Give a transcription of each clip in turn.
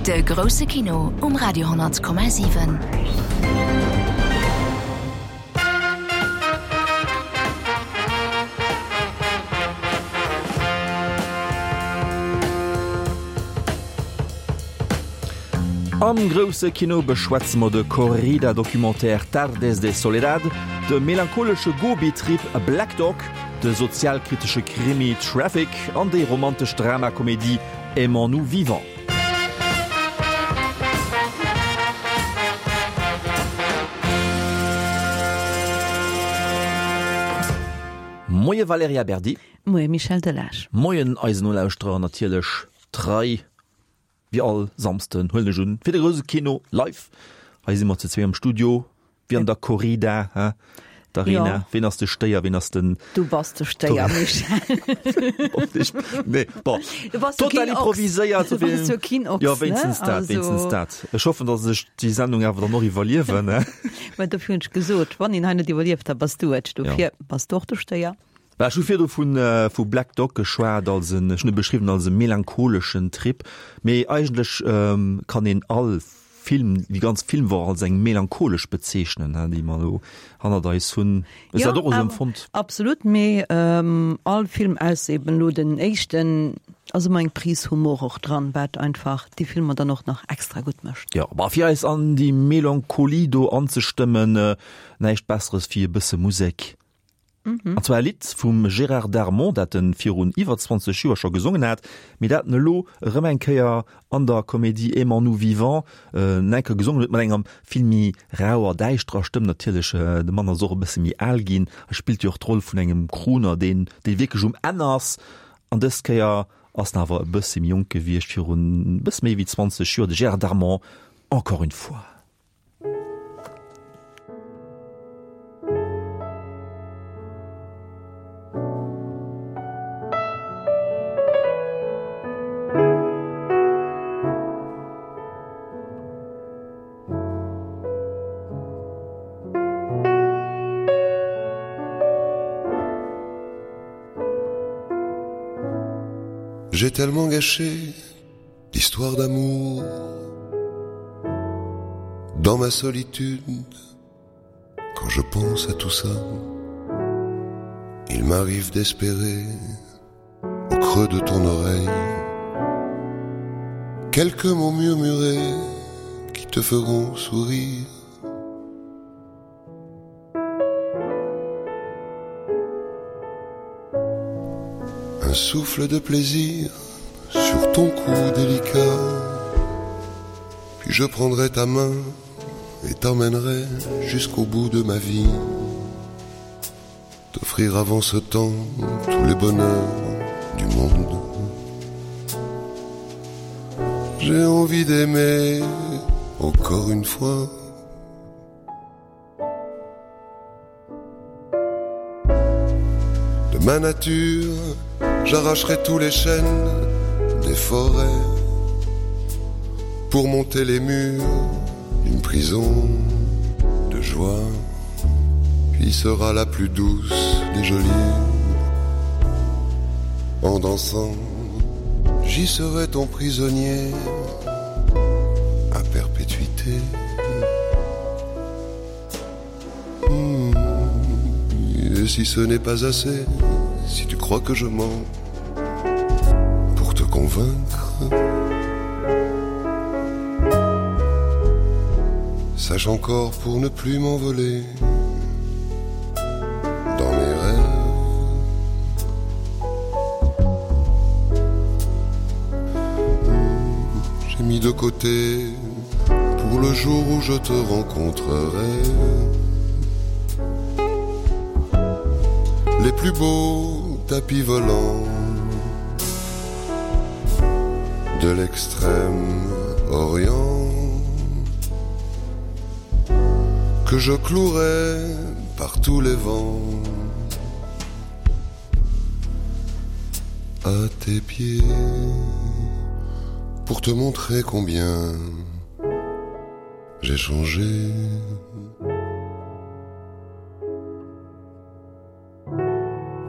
De grousse Kino um Radio 10,7. Am grousse Kino beschwätze mer de Corrida-Documentaire Tardes de Soledad, de melancholesche Gobi-Trip Black Dog, de sozialkritesche Krimi Traffic an déi romantesch Dramakomedie Aimons-nous vivants. Moie Valerija Berdi. Moie Michel Delage. Moien eisen Nolauschterer an natierlech trei wéi all Samsden, huelen ech un, fir de grouse Kino live. Hei si mer zu zwee am Studio, wéi an der Corrida, hä? D'Arena. Ja. Ween ass de Stéier, ween ass den. Du bass de Stéier, Michel. Ich, nee, bon. Du bass jo Total keen Ochs. improviséiert. Du bass jo keen Ochs, Ja, wéinstens ne? dat, Also- wéinstens dat. Ech hoffen, dass ech déi Sendung awer dann och iwwerliewen, ne? Mä dofir hunn ech gesot, wann een hei net iwwerlieft, da bass du et. Dofir Ja. bass du och de Stéier. Bah, ech hu virdu vun, vu Black Dog geschwat als en, ech hunn e beschriwwen als e melancholeschen Trip, mee eigentlech kann een all Film, déi ganz Filmwoch als eng melancholesch bezeechnen, déi mer elo hannert eis hunn. Hues du dat och esou empfonnt? Absolut, mee all Film, ausser eben elo den éischten, ass ëmmer eng Prise Humor och dran, wat einfach déi Filmer dann och nach extra gutt mécht. Jo, bah, fir eis an déi Melancholie do anzestëmmen, näischt Besseres wéi e bësse Musek. An zwar e Lidd vum Gérard Darmon, dat en virun iwwer 20 Joer scho gesongen hat, mee dat en elo erëm eng Kéier an der Komedie Aimons-nous vivants enker gesongen huet, mat enger vill méi rauer, däischterer Stëmm natierlech. De Mann ass och e bësse méi al ginn a spillt jo och d'Roll vun engem Crooner, deen, dee wierklech um Enn ass. An dës Kéier ass en awer e bësse méi jonk gewiescht, virun e bësse méi wéi 20 Joer, de Gérard Darmon, Encore une fois. J'ai tellement gâché d'histoires d'amour dans ma solitude quand je pense à tout ça il m'arrive d'espérer au creux de ton oreille quelques mots murmurés qui te feront sourire Un souffle de plaisir sur ton cou délicat Puis je prendrai ta main et t'emmènerai jusqu'au bout de ma vie T'offrir avant ce temps tous les bonheurs du monde J'ai envie d'aimer encore une fois De ma nature, j'arracherai tous les chênes des forêts pour monter les murs d'une prison de joie puis sera la plus douce des jolies en dansant j'y serai ton prisonnier à perpétuité mmh. Et si ce n'est pas assez si tu crois que je mens pour te convaincre sache encore pour ne plus m'envoler dans mes rêves j'ai mis de côté pour le jour où je te rencontrerai les plus beaux tapis volants de l'extrême orient que je clouerai par tous les vents à tes pieds pour te montrer combien j'ai changé.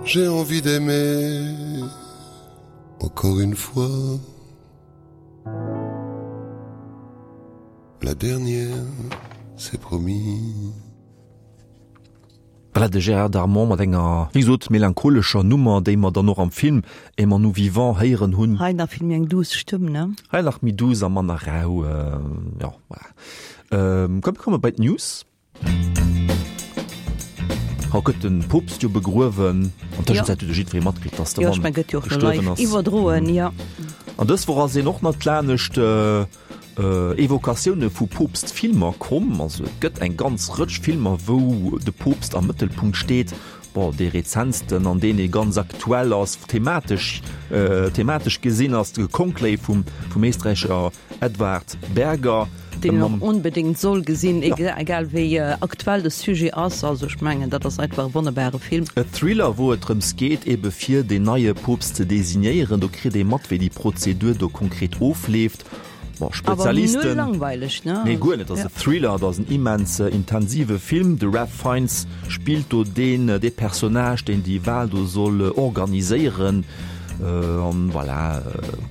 J'ai envie d'aimer encore une fois. La dernière, c'est promis. Voilà de Gérard Darmon mat enger, wéi gesot, melancholescher Nummer, déi mer dann och am Film Aimons-nous vivants héieren hunn. Hei nach vill méi eng douce Stëmm, ne? Hei nach méi douce a manner rau, jo, voilà. Komm, mir komme bei d'News. Haut gëtt de Poopst jo begruewen. An Tëschenzäit huet jo jiddweree matkritt, dass de Mann gestuerwen ass. Iwwerdroen, jo. An dës Woch ass een och nach lanescht Evokatioune vu Poopst-Filmer komm. Also et gëtt eng ganz Rëtsch Filmer, wou de Poopst am Mëttelpunkt steet. Bon, dee rezentsten an deen ee ganz aktuell ass, thematesch, thematesch gesinn, ass de Conclave vum, vum Éisträicher Edward Berger. Deen een och onbedéngt soll gesinn, egal wéi aktuell de Sujet ass. Also ech mengen, dat ass einfach e wonnerbare Film. E Thriller, wou et drëms geet, ebe fir deen neie Poopst ze designéieren. Do kritt ee mat, wéi déi Prozedur do konkret ofleeft. Bon, Spezialisten. Awer null langweileg, ne? Nee, guer net. Et ass e Thriller, et ass en immens intensive Film. De Ralph Fiennes spillt do deen, dee Personnage, deen déi Wal do soll organiséieren. An voilà,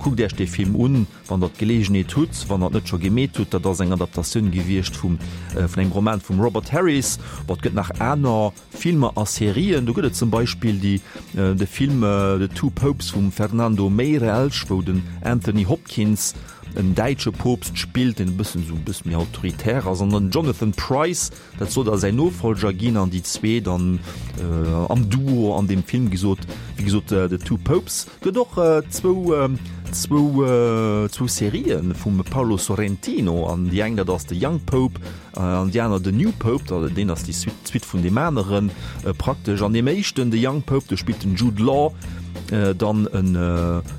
kuckt Iech dee Film un. Wann der d'Geleegenheet hutt, wann der et net scho gemeet hutt, dat ass eng Adaptatioun gewiescht vum vun engem Roman vum Robert Harris. Bon, et gëtt nach aner Filmer a Serien. Do gëtt et zum Beispill déi de Film The Two Popes vum Fernando Meirelles, wou den Anthony Hopkins en däitsche Poopst spillt, deen e bëssen esou e bësse méi autoritär ass, an den Jonathan Pryce, dat soll da säin Nofollger ginn, an déi zwee dann am Duo an deem Film gesot, wéi gesot The Two Popes. Gëtt och zwou zwou zwou Serië vum Paolo Sorrentino, an déi eng dat ass The Young Pope an déi aner The New Pope, da deen ass déi Suite d'Suite vun deem aneren praktesch. An deem éischten The Young Pope, do spillt den Jude Law dann en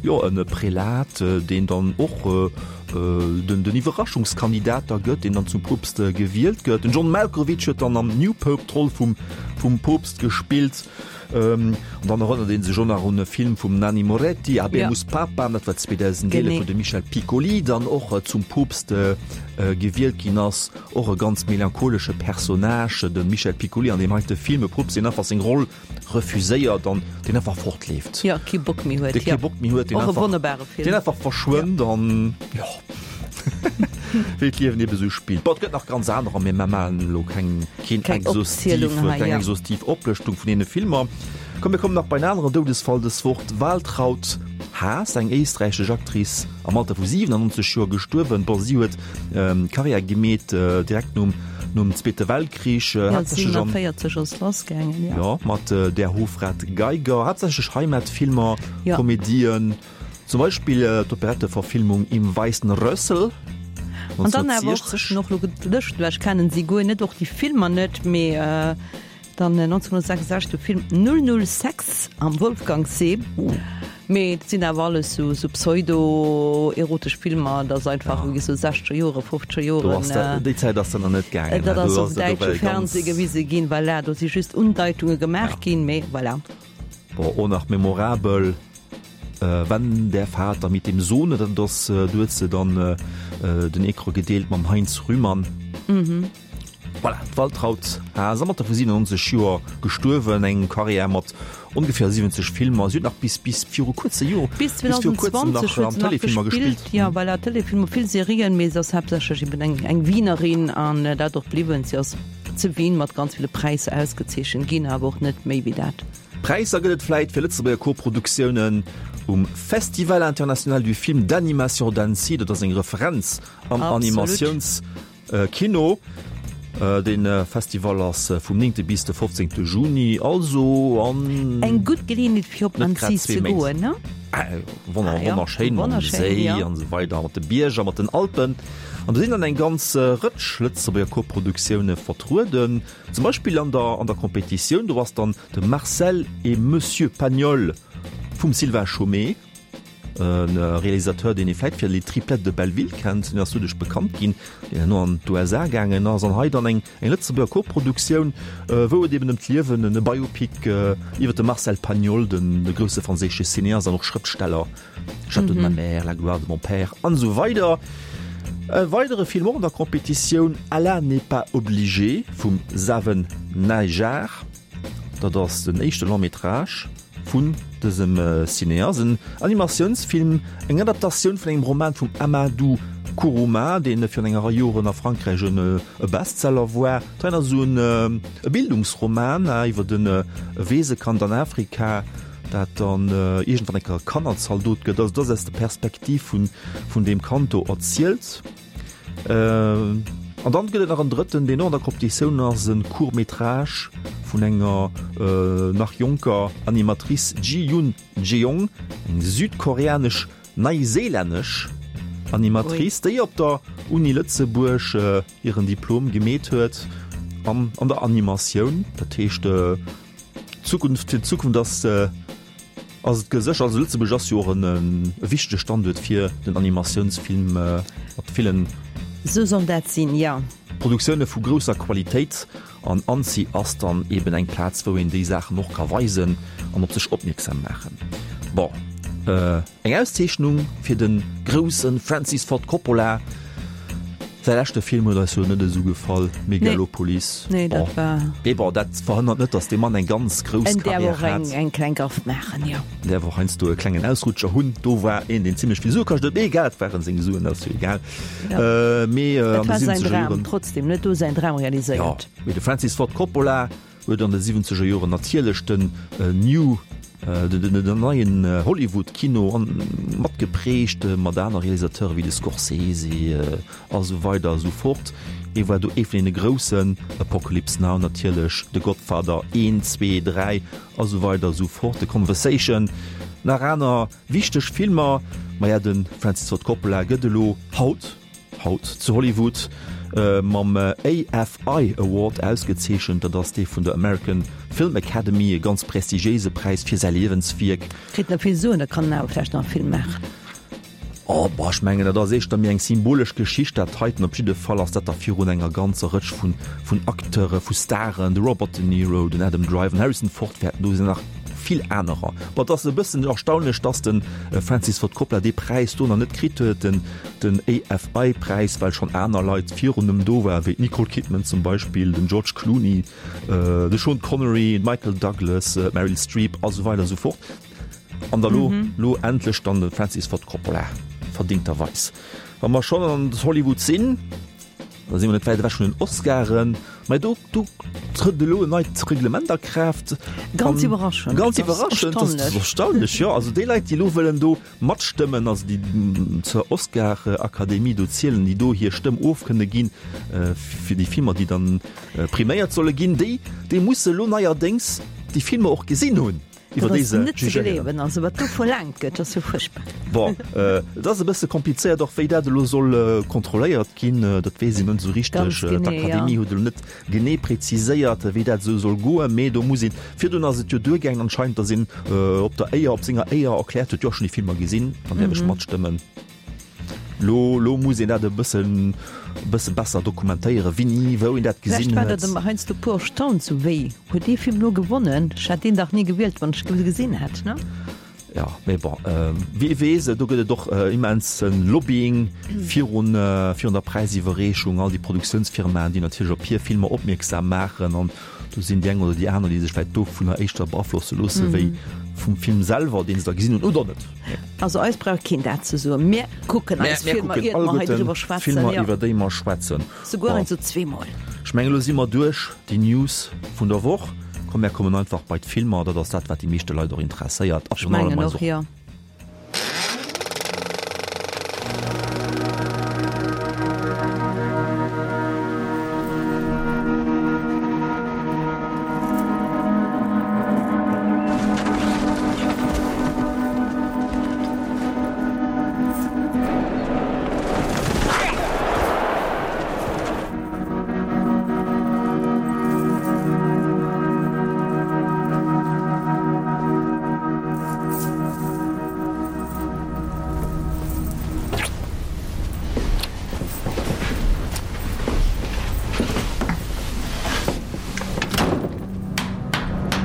jo en Prälat, deen dann och den den Iwwerraschungskandidat da gëtt, deen dann zum Poopst gewielt gëtt. Den John Malkovich huet dann am New Pope d'Roll vum vum Poopst gespillt. An dann erënnert ee sech och nach un e Film vum Nanni Moretti, Habemus Papam, dat war 2011, wou de Michel Piccoli dann och zum Poopst gewielt ginn ass. Och e ganz melancholesche Personnage, de Michel Piccoli an deem heite Film, e Poopst, deen einfach seng Roll refuséiert an deen einfach fortleeft. Jo, kee Bock méi huet. Dee kee Bock méi huet, deen einfach, wonnerbare Film. Deen einfach verschwënnt an jo. Wéi d'Liewen ebe sou spillt. Bon, et gëtt nach ganz anerer, mee mer maachen elo keng, keen Keng exhaustiv, Opzielung hei, keng ja. exhaustiv Oplëschtung vun deene Filmer. Komm, mir kommen nach bei en aneren Doudesfall dës Woch, D'Waltraud Haas, eng éisträichesch Actrice, am Alter vu 97 Joer gestuerwen. Bon, si huet Karriär gemeet direkt nom, nom Zweete Weltkrich, Ja, haaptsächlech am, 47 ass lassgaangen, ja. jo, mat Der Hofrat Geiger, haaptsächlech Heimatfilmer, Ja. Komedien. Zum Beispill d'Operetteverfilmung Im weißen Rössl An dann awer och 1960. och lo gelëscht, well ech kennen si guer net, och déi Filmer net, mee dann 1966 de Film 006 am Wolfgangsee. Mee dat sinn awer alles sou sou pseudo-erotesch Filmer, dat ass einfach wéi sou sechzeger Jore, fofzeger Do Joren. ass dat, déi Zäit ass dat nach net gaangen. Dat Do ass ass op dat däitsche ewell ganz. Fernseh gewise ginn, voilà, do si just Undeitunge gemaach ginn, mee voilà. Bon, och nach memorabel. Wenn der Vater mit dem Sohne, dat ass, du huet se dann den Ecran gedeelt mam Heinz Rühmann. Voilà, d'Waltraud Haas am Alter vu 97 Joer gestuerwen, eng Karriär mat ongeféier 70 Filmer. Si huet nach bis bis viru kuerze Joer, Bis bis viru kuerzem 2020 nach huet an se nach Téléfilmer gespillt, gespillt. jo, voilà, Téléfilmer, vill Serien, mee se ass haaptsächlech eben eng eng Wienerin an dat och bliwwen. Si ass zu Wien mat ganz ville Präisser ausgezeechent ginn, awer och net méi wéi dat. Präisser gëtt et vläit fir Lëtzebuerger Koproduktiounen um Festival International du Film d'Animation d'Annecy. Dat ass eng Referenz am Animatiounskino. Dee Festival ass vum 9. bis de 15. Juni, also an Eng gutt Geleeënheet fir op net grad Annecy zwee ze Méint. goen, ne? Wonnerschéin mam Séi an esou weider, mat de Bierger, mat den Alpen. An do sinn dann eng ganz Rëtsch Lëtzebuerger Koproduktioune vertrueden. Zum Beispill an der an der Competitioun, do ass dann de Marcel et Monsieur Pagnol vum Sylvain Chomet, e Realisateur, deen ee vläit fir Les Triplettes de Belleville kennt, deen ass doduerch bekannt ginn, deen herno an d'USA gaangen ass. An hei dann eng eng Lëtzebuerger Koproduktioun, wou et eben ëm d'Liewen, e Biopic iwwer de Marcel Pagnol, den de grousse franséische Cineast an och Schrëftsteller. Château de ma mère, La gloire de mon père an esou weider. E weidere Film och an der Competitioun, Allah n'est pas obligé vum Zaven Nayjar. Dat ass den éischte Long métrage vun dësem Cineast, en Animatiounsfilm, eng Adaptatioun vun engem Roman vum Amadou. Kuruma, deen virun enger Rei Joren a Frankräich en e Bestseller war. Dat ass esou en e Bildungsroman iwwer en e Weesekand an Afrika, dat dann iergendwann eng Kéier Kannerzaldot gëtt. Also dat ass aus der Perspektiv vun vun deem Kand do erzielt. An dann gëtt et nach en drëtten, deen och an der Competitioun ass, e Court métrage vun enger nach jonker Animatrice, Ji-Yoon Jeong, eng südkoreanesch Neiséilännesch Animatrice, déi op der Uni Lëtzebuerg hiren Diplom gemeet huet an an der Animatioun. Dat heescht d'Zukunft, fir d'Zukunft ass ass et geséchert. Also Lëtzebuerg ass jo och en e wichtege Standuert fir den Animatiounsfilm mat villen. Esou soll dat sinn, jo. Produktioune vu grousser Qualitéit. An Annecy ass dann eben eng Plaz, wou een déi Saachen och ka weisen an op sech opmierksam maachen. Bon, eng Auszeechnung fir de grousse Francis Ford Coppola. Säi leschte Film huet eis jo net esou gefall, Megalopolis. Nee, dat war. Mee bon, dat verhënnert net, datt dee Mann eng ganz grouss En däerf och eng, eng kleng Gaff maachen, jo. En däerf och heiansdo e klengen Ausrutscher hunn. Do war een, deen zimlech vill Sue kascht huet. Mee egal, et waren seng Suen, dat ass jo egal. Ja. Mee an de 70er Joren. Trotzdem net do säin Dram realiséiert. Ja, mee de Francis Ford Coppola huet an de 70er Joren natierlech den New, den neien Hollywood-Kino matgeprägt, mat aner Realisateure wéi de Scorsese a sou weider a sou fort. Hie war do ee vun deene Groussen, Apocalypse Now natierlech, The Godfather 1, 2, 3 a sou weider a sou fort, The Conversation, nach aner. Wichteg Filmer, maja de Francis Ford Coppola gëtt elo haut, haut zu Hollywood mam AFI Award ausgezeechent. Dat ass dee vun der American Film Academy, e ganz prestigiéise Präis fir säi Liewenswierk. Kritt nach vill Suen, da kann en awer vläicht nach e Film maachen. Oh, bah, ech mengen, dat ass éischter méi eng symbolesch Geschicht, dat heiten. Op jidde Fall ass dat da virun enger ganzer Rëtsch vun, vun Acteure, vu Staren, de Robert De Niro, den Adam Driver, den Harrison Ford wäerten do sinn, nach vill anerer. Bon, et ass e bëssen erstaunlech, dass de Francis Ford Coppola dee Präis do nach net kritt huet, den, den AFI-Präis, well schonn aner Leit virun em do waren, wéi d'Nicole Kidman zum Beispill, den George Clooney, de Sean Connery, d'Michael Douglas, d'Meryl Streep a sou weider a sou fort. An da lo, lo endlech dann de Francis Ford Coppola, verdingterweis. Wa mer schonn an Hollywood sinn, da si mer net wäit ewech vun den Oscaren, mä do, do trëtt elo en neit Reglement a Kraaft. Ganz iwwerraschend. Ganz iwwerraschend, dat ass erstaunlech, jo. Also déi Leit, déi elo wëllen do matstëmmen, also déi zur Oscar-Akademie do zielen, déi do hir Stëmm of kënne ginn, fir déi Filmer, déi dann priméiert solle ginn, déi, déi musse elo neierdéngs déi Filmer och gesinn hunn. iwwer déi se net ze gleewen, also wat do verlaangt gëtt, ass jo fuerchtbar. Bon, et ass e bësse komplizéiert och, wéi dat elo soll kontrolléiert ginn, dat weess een net esou richteg. D'Akademie huet elo net genee preziséiert, wéi dat esou soll goen, mee do muss een, virdrun ass et jo duergaangen anscheinend, datt een op der Éier, op senger Éier erkläert huet, jo ech hunn déi Filmer gesinn, dann däerf ech matstëmmen. Lo, lo muss een dat e bëssen, e bësse besser dokumentéieren, wéini, wou een dat gesinn huet. Vläicht war dat ëmmer heiansdo puer erstaunt, sou wéi, huet dee Film lo gewonnen? Ech hätt deen dach ni gewielt, wann ech e gesinn hätt, ne? Jo, mee bon, wie weess, do gëtt et och immense Lobbying virun, virun der Präisiwwerreechung, all déi Produktiounsfirmaen, déi natierlech op hir Filmer opmierksam maachen an Do sinn déi eng oder déi aner, déi sech vläicht dovunner éischter beaflosse loosse wéi vum Film selwer, deen se da gesinn hunn, oder net. Also eis brauch keen dat ze soen. Mir kucken eis Filmer, iert mer hei driwwer schwätzen. Filmer, iwwer déi mer schwätzen. Souguer heiansdo zweemol. Ech mengen, elo si mer duerch déi News vun der Woch. Komm, mär kommen einfach bei d'Filmer. Dat ass dat, wat déi meeschte Leit och interesséiert. Ech mengen och, jo.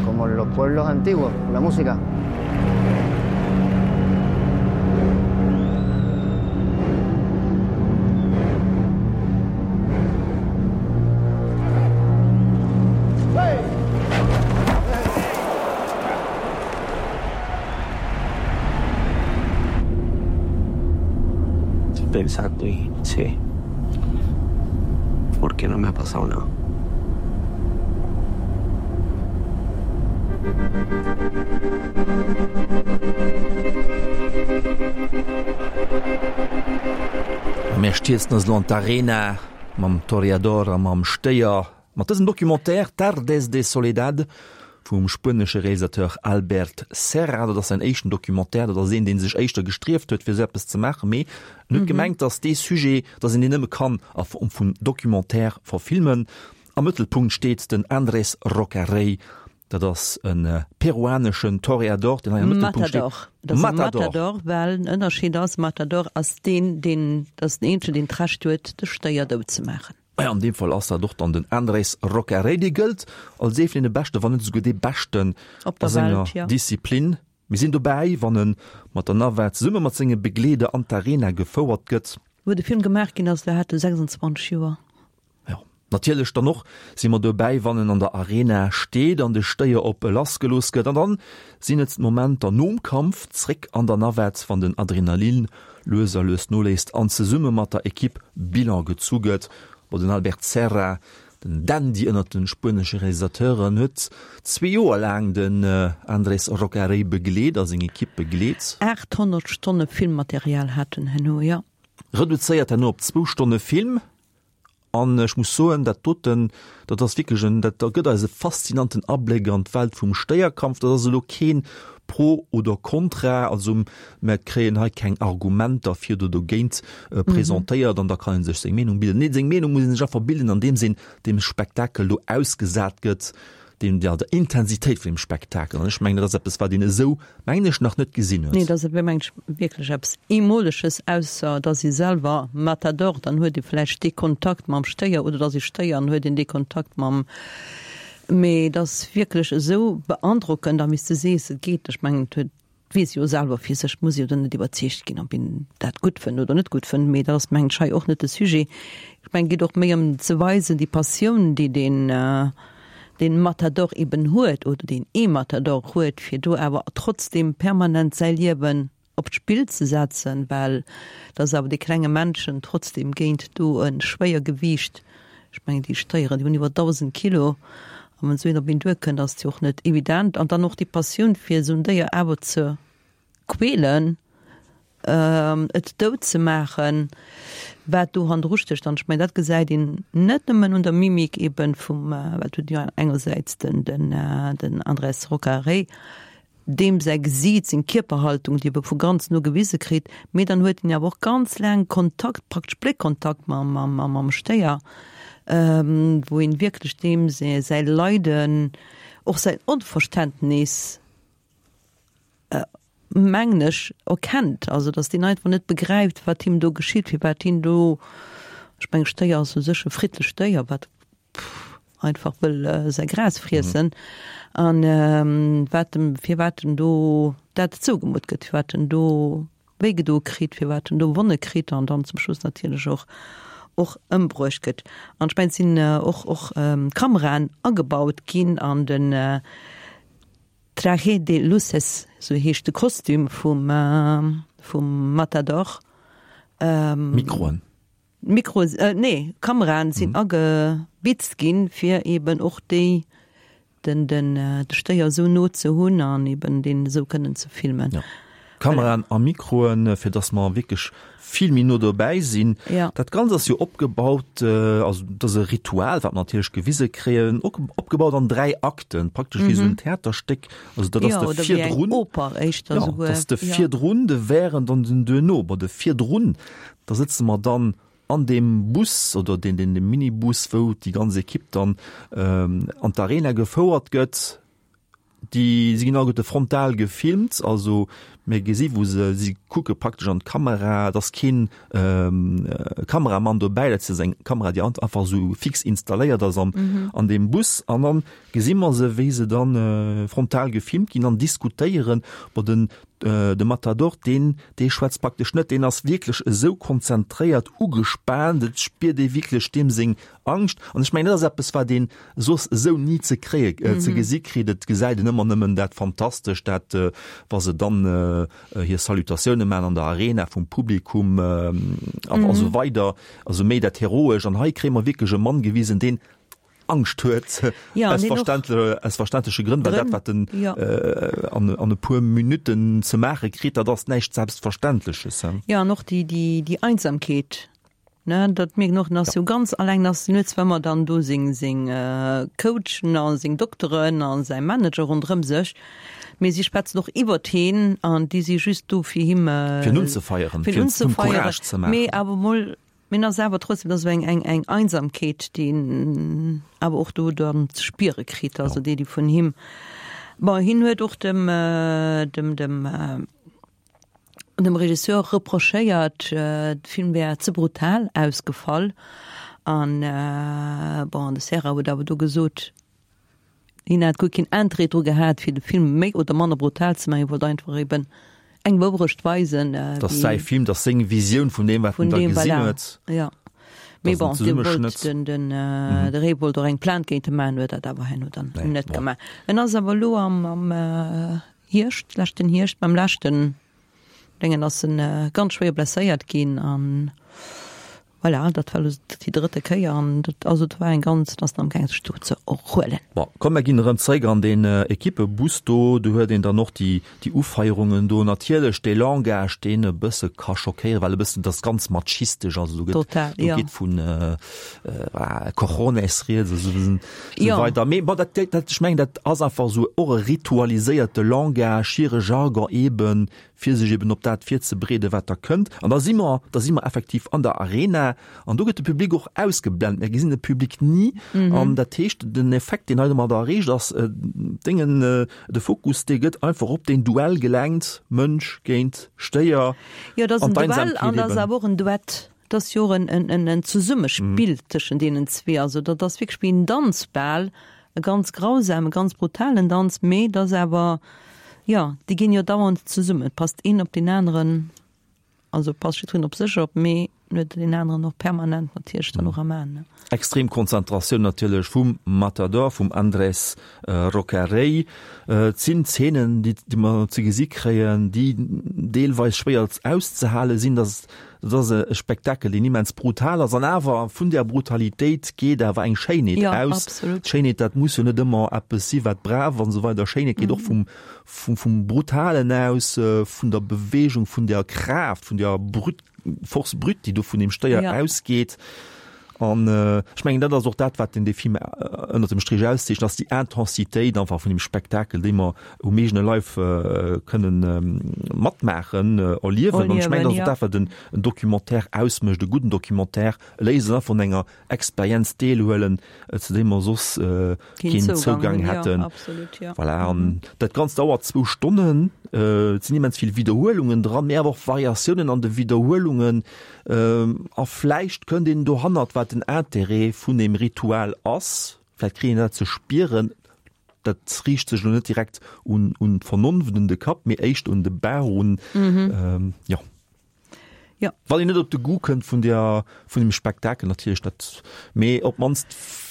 Como en los pueblos antiguos, la música. Pensando y sé por qué no me ha pasado nada. Mir stierzen eis elo an d'Arena mam Toreador a mam Stéier. Mat dësem Documentaire Tardes de Soledad vum spuenesche Realisateur Albert Serra, dat ass säin éischten Documentaire, dat ass een, dee sech éischter gestrieft huet, fir esou eppes ze maachen, mee en huet gemengt, datt dee Sujet, datt een deen nëmme kann a Form vun Documentaire verfilmen. Am Mëttelpunkt steet den Andrés Roca Rey, dat ass e peruaneschen Toreador, deen hei am Mëttelpunkt steet. Matador. Dat ass e Matador, well den Ënnerscheed ass, Matador ass deen, deen, dat ass den eenzegen, deen d'Recht huet, de Stéier dout ze maachen. Maja, an deem Fall ass dat och dann den Andrés Roca Rey. Dee gëllt als ee vun deene Beschten, wann net esouguer dee Beschten Op der a senger Welt, ja. Disziplin. Mir sinn dobäi, wann e mat der Navette zesumme mat senge Begleeder an d'Arena gefouert gëtt. Wou de Film gemaach ginn ass, do hat e 26 Joer. Jo, natierlech dann och si mer dobäi, wann en an der Arena steet an de Stéier op e lassgelooss gëtt. An dann sinn et d'Momenter nom Kampf, zréck an der Navette, wann den Adrenalin lues a lues noléisst an zesumme mat der Ekipp Bilan gezu gëtt. Bon, den Albert Serra, den Dandy ënnert de spuenesche Realisateuren, huet zwee Joer laang den Andrés Roca Rey begleet a seng Ekipp begleet. 800 Stonne Filmmaterial hat en herno, jo. Reduzéiert herno op zwou Stonne Film. An ech muss soen, dat doten, dat ass wierklech en, dat gëtt eis e faszinanten Abléck an d'Welt vum Stéierkampf. Dat ass elo keen Pro oder Contra, also mer kréien hei keng Argumenter fir oder dogéint presentéiert an da kann ee sech seng Meenung bilden. Nee, seng Meenung muss ee sech einfach bilden, andeems een deem Spektakel do ausgesat gëtt. Deem, der, der Intensitéit vun dem Spektakel. An ech mengen, dat ass eppes, wat een esou, mengen ech, nach net gesinn huet. Nee, dat ass, mengen ech, wierklech eppes Eemoleges, ausser dass ee selwer Matador, dann huet ee vläicht dee Kontakt mam Stéier, oder dass ee Stéier an huet een dee Kontakt mam, mee et ass wierklech esou beandrockend, a wéi s de sees, et geet, ech mengen, et huet weess jo selwer fir sech, muss jo dann net iwwerzeegt ginn, ob een dat gutt fënnt oder net gutt fënnt, mee dat ass mengen ech hei och net de Sujet. Ech mengen et geet och méi ëm ze weisen déi Passioun, déi deen deen Matador eben huet oder deen ee Matador huet, fir do awer trotzdem permanent säi Liewen op d'Spill ze setzen, well et ass awer dee klenge Männchen trotzdem géint do e Schwéiergewiicht Ech mengen, déi Stéieren, déi hunn iwwer 1.000 Kilo. A wann esou een op een duerkënnt, ass et jo och net evident. An dann och déi Passioun, fir esou en Déier awer ze quälen, et dout ze maachen, wat do hannendru stécht. An ech mengen, dat gesäit een net nëmmen un der Mimik eeben vum, well et huet jo engersäits den, den Andrés Roca Rey, deem säi Gesiit, seng Kierperhaltung, déi e vu ganz no gewise kritt, mee dann huet en awer och ganz laang Kontakt, praktesch Bléckkontakt mam Stéier, wou een wierklech deem säi Leiden, och säin Onverständnis, mengen ech, erkennt. Also datt deen einfach net begräift, wat him do geschitt, firwat hien do, ech mengen, Stéier ass u sech e friddlecht Déier, wat einfach wëll säi Gras friessen an wat em, firwat en do dat zougemutt gëtt, firwat en do wéi gedo kritt, firwat en do Wonne kritt an dann zum Schluss natierlech och och ëmbruecht gëtt. An ech mengen, et sinn och och Kameraen agebaut ginn an den Traje de luces, sou heescht de Kostüm vum vum Matador. Mikroen. Mikroen, nee, Kameraen sinn agebitzt ginn, fir eben och déi, den, den, de Stéier esou no ze hunn an eben deen esou kënnen ze filmen. Jo, Kameraen a Mikroen, fir dass mer wierklech vill méi no dobäi sinn. Ja. Dat Ganzt ass jo opgebaut, also dat ass e Ritual, wat mer natierlech gewise kréien, opgebaut an 3 Akten, praktesch wéi esou en Theaterstéck. Also dat ass Jo, de oder wéi eng Virdrun. Oper éischter Jo, esouguer. dat ass de Jo. Virdrun, de Während an den Duerno. Bon, de Virdrun, Da sëtze mer dann an deem Bus oder deen, deen, deem Minibus, wou déi ganz Ekipp dann an d'Arena gefouert gëtt. Déi si ginn alleguerte frontal gefilmt, also mir gesi wou se, si kucke praktesch an d'Kamera. Et ass keen Kameramann dobäi, dat ass eng Kamera, déi einfach esou fix installéiert ass an, an deem Bus. An dann gesi mer se, wéi se dann frontal gefilmt ginn an diskutéieren. Bon, den. De Matador, deen, dee schwätzt praktesch net, deen ass wierklech esou konzentréiert, ugespaant, et spiert ee wierklech deem seng Angscht. An ech mengen, dat ass eppes, wat ee soss esou ni ze kréie, ze gesi kritt. Et gesäit een ëmmer nëmmen dat Fantastescht, dat, wa se dann hir Salutatioune maachen an der Arena vum Publikum a esou weider, also méi dat Heroescht. An hei kréie mer wierklech e Mann gewisen, deen Angscht huet, ja, aus, verständle, aus verständleche Grënn, well dat, wat den ja. äh, an, an e puer Minuten ze maache kritt, dat ass näischt Selbstverständleches. He? Ja, an och déi, déi, déi Einsamkeet. Ne, dat mierkt och, ass jo ganz alleng, ass net zwar ëmmer dann do seng, seng äh, Coachen a seng Dokteren a säi Manager ronderëm sech, mee si schwätzen och iwwert heen an déi si just do fir him äh, fir en unzefeieren, fir en unzefeieren, mee awer mol Mee en ass awer trotzdem, dat ass eng, eng, eng Einsamkeet, déi en awer och do dann ze spiere kritt, also déi, déi vun him, bon, hien huet och dem, dem, dem, dem Regisseur reprochéiert, de Film wär ze brutal ausgefall an, bon, de Serra huet awer do gesot, Hien hat guer keen Interêt dru gehat, fir de Film méi oder manner brutal ze maachen. Hie wollt einfach eben eng Wourecht weisen. Et ass säi Film, et ass seng Visioun vun deem, wat en da gesinn huet. Jo. Mee bon, dee wollt den, den, de Ray wollt och eng Plainte géint e maachen, huet dat awer herno dann net gemaach. En ass awer elo am, am Hierscht, leschten Hierscht, beim leschten Déngen ass en ganz schwéier blesséiert ginn an Voilà, dat war elo déi drëtte Kéier an dat, also et war eng ganz, et ass nach amgaang sech do ze erhuelen. Bon, komm mer ginn erëm zeréck an deen Equippebus do. Do huet een dann och déi, déi Ufeierungen do. Natierlech dee Langage, deen e bësse ka schockéieren, well e bëssen, dat ass ganz machistesch, also do gëtt, Total, do jo. geet vun Cojones rieds a sou, sou weider. Mee bon, dat, dat, ech mengen, dat ass einfach esou och e ritualiséierte Langage, hire Jargon eeben, fir sech eben op dat virzebereeden, wat da kënnt. An da si mer, da si mer effektiv an der Arena an do gëtt de Public och ausgeblent. Mir gesinn de Public ni. An dat heescht, den Effekt, deen hei domadder erreecht ass, Déngen, de Fokus, dee gëtt einfach op deen Duell gelenkt, Mënsch géint Stéier. Jo, dat ass en Duell an dat ass awer och en Duett. Dat ass jo och en Zesummespill tëschent deenen zwee. Also dat ass wierklech wéi en Danz bal, e ganz grausame, e ganz brutalen Danz, mee et ass awer, jo, déi ginn jo dauernd zesummen. Et passt een op deen aneren, also passt jiddwereen op sech op, mee en huet deen aneren och permanent natierlech dann och am Aen. Extrem Konzentratioun natierlech vum Matador, vum Andrés Roca Rey. Et sinn Zeenen, déi mer ze gesi kréien, déi deelweis schwéier auszehale sinn. Dat ass e Spektakel, deen immens brutal ass. An awer, vun där Brutalitéit geet awer eng Schéinheet aus. D'Schéinheet, dat muss jo net ëmmer eppes si wat brav an esou weider. Schéinheet geet och vum Brutalen aus, vun der Beweegung, vun der Kraaft, vun der Brut. Force brute, déi do vun deem Stéier ja. ausgeet. An äh, ech mengen dat ass och dat, wat den de Film äh, ënner dem Strich auszeechent, ass déi Intensitéit einfach vun dem Spektakel, déi mer um eegene Leif äh, kënnen ähm, matmaachen, äh, erliewen. An ech mengen, dat ass och dat, wat en, en Documentaire ausmécht, e gudden Documentaire, e léisst en vun enger Experienz deelhuelen, zu deem mer soss äh, keen Zougang hätten. Ja, absolut, ja. Voilà, an mhm. dat Ganzt dauert zwou Stonnen. Äh, et sinn immens vill Wiederhuelungen dran, mee awer och Variatiounen an de Wiederhuelungen. Ähm, a vläicht kënnt een dohannert, wat den Interêt vun dem Ritual ass. Vläicht kritt een dat ze spieren. Dat riicht sech lo net direkt un, un d'Vernonft, un de Kapp, mee éischt un de Bauch, un, mhm. ähm, ja. Ja. Wann een net op de Goût kënnt vun der, vun dem Spektakel natierlech, dat, mee op d'mannst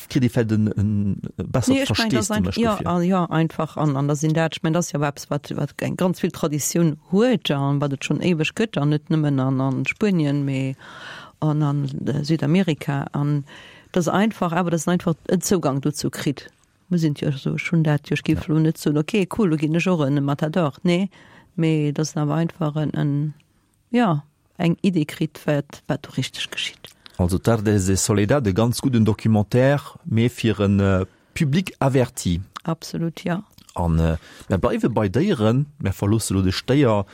kritt ee vläicht en, en bessert Nee, ech mengen, dat ass Versteesdemech ja, dofir. an, ja, einfach an, an da sinn dat, ech mengen, dat ass jo awer eppes, wat, wat eng ganz vill Traditioun huet an wat et schonn éiweg gëtt an net nëmmen an, an Spuenien, mee an an Südamerika an dass einfach awer, dass een einfach en Zougang dozou kritt. Muss een jo soen, ech hunn dat jo, ech géif elo net soen, okay, cool, elo ginn ech och en Matador, nee, mee dass een awer einfach en, en, jo, eng Idee kritt, wat, wat do richteg geschitt. Also Tardes de Soledad, e ganz gudden Documentaire, mee fir e Public averti. Absolut, jo. An mär bleiwe bei Déieren, mär verloosse lo de Stéier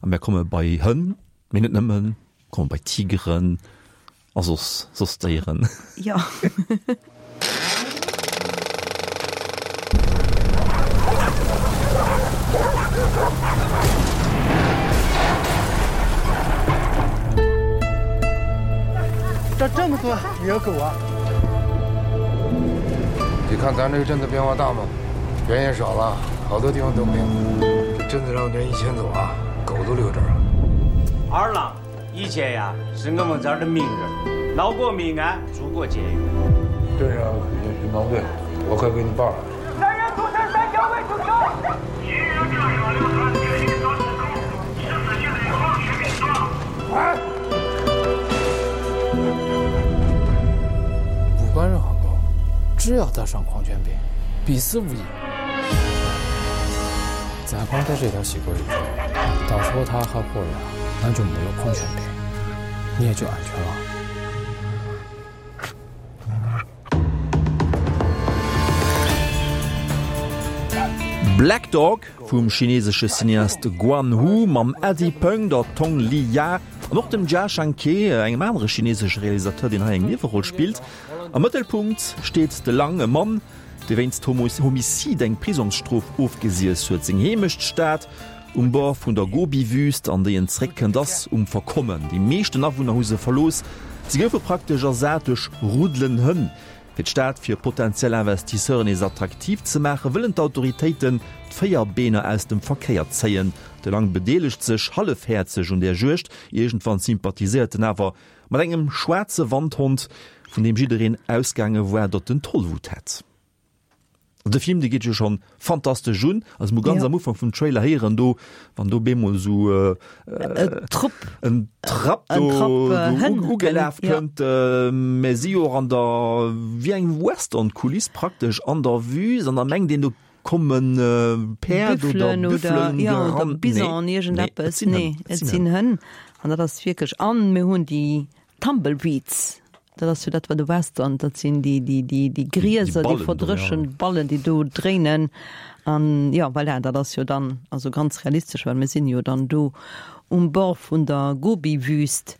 a mär komme bei Hënn, mee net nëmmen, komme bei Tigeren A soss, soss Déieren. Jo. 这这么多也有狗啊？你看咱这个镇子变化大吗？人也少了，好多地方都没有。这镇子上人一迁走啊。都留这儿了。 二郎以前呀，是我们这儿的名人，闹过命案，住过监狱。镇上有巡防队，我可以给你报了。 三人组成三角位出球。 哎！ 不管任何狗，只要得上狂犬病，必死无疑。 再光在这条细沟里，到时候他还活着，那就没有狂犬病，你也就安全了。 Black Dog vum chinesesche Cineast Guan Hu mam Eddie Peng, der Tong Li Ya an och dem Jia Zhangke, engem anere chinesesche Realisateur, deen hei eng Nieweroll spillt. Am Mëttelpunkt steet de Lang, e Mann, dee wéinst Homicide eng Prisongsstrof ofgesiess huet. Seng Heemechtstad um Bord vun der Gobi-Wüüst, an déi en zeréckkënnt, ass um Verkommen. Déi meeschten Awunner hu se verlooss, se goufe praktesch ersat duerch Ruddelen Hënn. Fir d'Stad fir potentiell Investisseuren nees attraktiv ze maachen, wëllen d'Autoritéiten d'Véierbeener aus dem Verkéier zéien. De Lang bedeelegt sech hallefhäerzeg un där Juegd, iergendwann sympathiséiert en awer mat engem schwaarze Wandhond, vun deem jiddereen ausgaange war, datt en Tollwut hätt. De Film, dee geet jo schonn fantastesch un. Also mir hu ganz am Ufank vum Trailer héieren do, wann do bemol esou Trupp en Trapp do ugelaf kënnt. Mir si jo och an der, wéi eng Western-Kuliss praktesch an der Wüst an da mengt een, do komme Päerd oder Büffelen gerannt. Bison, iergendeppes. Nee, et sinn Hënn. An dat ass wierklech, an mir hunn déi Tumbleweeds, dat ass jo dat wat de Western, dat sinn déi, déi, déi, déi Grieser, déi verdréchent Ballen, déi do dréinen. An jo, voilà, dat ass jo dann also ganz realistesch, well mir sinn jo dann do um Bord vun der Gobi-Wüst.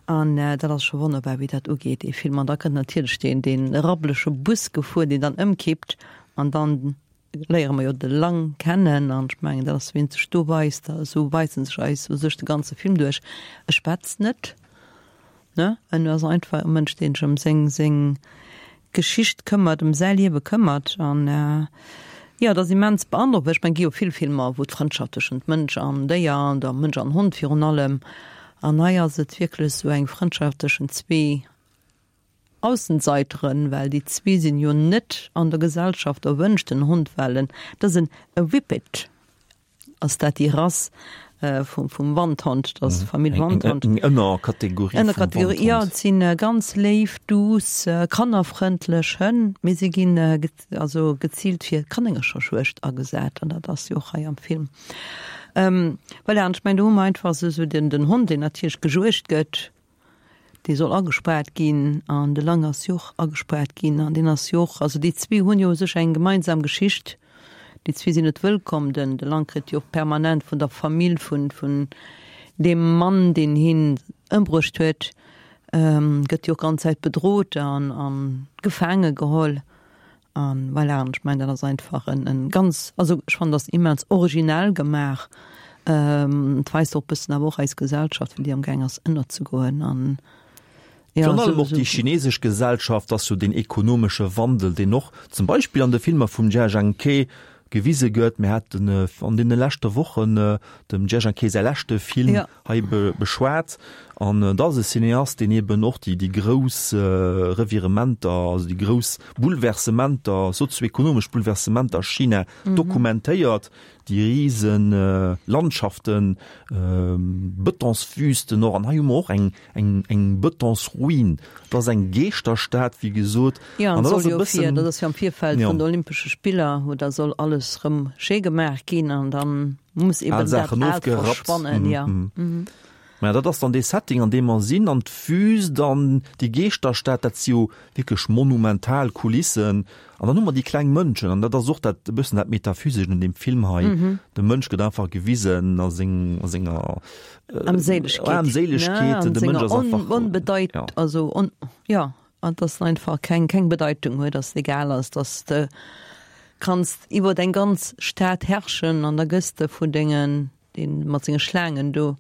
An dat ass scho wonnerbar, wéi dat ugeet, dee Film. An da kënnt natierlech deen, dee rabblege Bus gefuer, deen dann ëmkippt an dann léiere mer jo de Lang kennen an ech mengen, dat ass wéi en sech do weist, esou weist en sech eis u sech de ganze Film duerch. E schwätzt net, ne, en ass einfach e Mënsch, deen sech ëm seng seng Geschicht këmmert, ëm säi Liewe këmmert an jo, et ass immens beandrockend. Ech mengen, et gi jo vill Filmer, wou d'Frëndschaft tëschent Mënsch an Déier an der Mënsch an Hond virun allem an hei ass et wierklech esou eng Frëndschaft tëschent zwee Aussenseiteren, well déi zwee sinn jo net an der Gesellschaft erwënscht, den Hond well en, dat ass en e Whippet, ass dat déi Rass vum vum Wandhond, dat ass d'Famill Wandhond. Eng Ënnerkategorie vum Ënnerkategorie, jo, et sinn ganz léif, duuss, kannerfrëndlech Hënn, mee si ginn also geziilt fir Kanéngercherjuegd agesat an dat ass jo och hei am Film. Voilà, an ech mengen do hu mer einfach esou den den Hond, deen natierlech gejuegt gëtt, Dee soll agespaart ginn an de Lang ass jo och agespaart ginn an deen ass jo och, also déi zwee hunn jo u sech eng gemeinsam Geschicht. Déi zwee sinn net wëllkomm. Den de Lang kritt jo och permanent vun der Famill vun vun deem Mann, deen hien ëmbruecht huet, gëtt jo och ganz Zäit bedrot an a gefaange geholl. An voilà, an ech mengen, dat ass einfach en, en ganz, also ech fannen, dat ass immens originell gemaach. Et weist och e bëssen awer och eis Gesellschaft, wéi déi am gaang ass ënnerzegoen an ja, Virun allem och déi chinesesch Gesellschaft ass jo deen ekonomesche Wandel, deen och zum Beispill an de Filmer vum Jia Zhangke gewise gëtt. Mir haten an deene leschte Wochen dem Jia Zhangke säi leschte Film hei beschwat. An et ass e Cineast, deen eben och déi grouss Revirementer, also déi grouss Bouleversementer, sozioekonomesch Bouleversementer a China dokumentéiert, déi rise Landschaften, Betonswüsten och. An hei hu mer och eng eng Betonsruin. Et ass eng Geeschterstad, wéi gesot. Jo, an dat ass e bëssen, dat ass jo am Virfeld vun de Olympesche Spiller, wou da soll alles erëm schéi gemaach ginn an dann muss eben Al Saachen ofgerappt. Ja. Mm -hmm. Mä dat ass dann dee Setting, an deem mer sinn, an d'Wüst an déi Geeschterstad, dat si jo wierklech monumental Kulissen. An dann hu mer déi kleng Mënschen, an dat ass och dat e bëssen dat Metaphysescht un deem Film hei. Mm -hmm. De Mënsch gëtt einfach gewisen a seng, a senger äh, Armséilegkeet. Armséilegkeet. Ne, de Mënsch ass einfach onbedeit, ja. also on, ja. An dass en einfach keng, keng Bedeitung huet, dass et egal ass, dass de kanns iwwert eng ganz Stad herrschen an da gëss de vun dengen, deen mat senge Schlaangen do,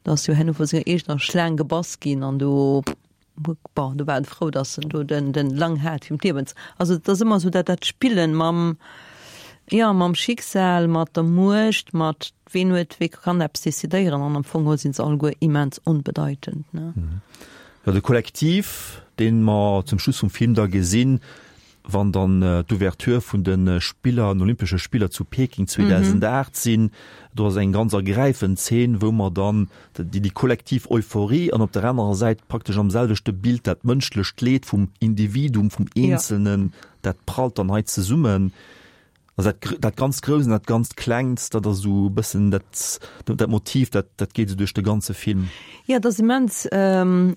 da ass jo herno vu senger eegener Schlaang gebass ginn an do, bon, do war en frou, dass en do den, den Lang hat fir ëm d'Liewen ze, also et ass ëmmer esou dat, dat Spillen mam. Jo, mam Schicksal, mat der Muecht, mat ween huet, wee kann eppes decidéieren an am Fong geholl sinn se alleguer immens onbedeitend, ne? Jo, de Kollektiv, dee mer zum Schluss vum Film da gesinn, wann dann d'Ouverture vun de Spiller, den Olympesche Spiller zu Peking 2008 sinn, do ass eng ganz ergräifend Zeen, wou mer dann déi, déi kollektiv Euphorie an op der anerer Säit praktesch am selwechte Bild dat mënschlecht Leed vum Individuum, vum Eenzelnen, dat prallt dann hei zesummen. Also dat, dat ganz Grousst an dat ganz Klengt, dat ass esou e bëssen dat, dat Motiv, dat, dat geet esou duerch de ganze Film. Jo, et ass immens,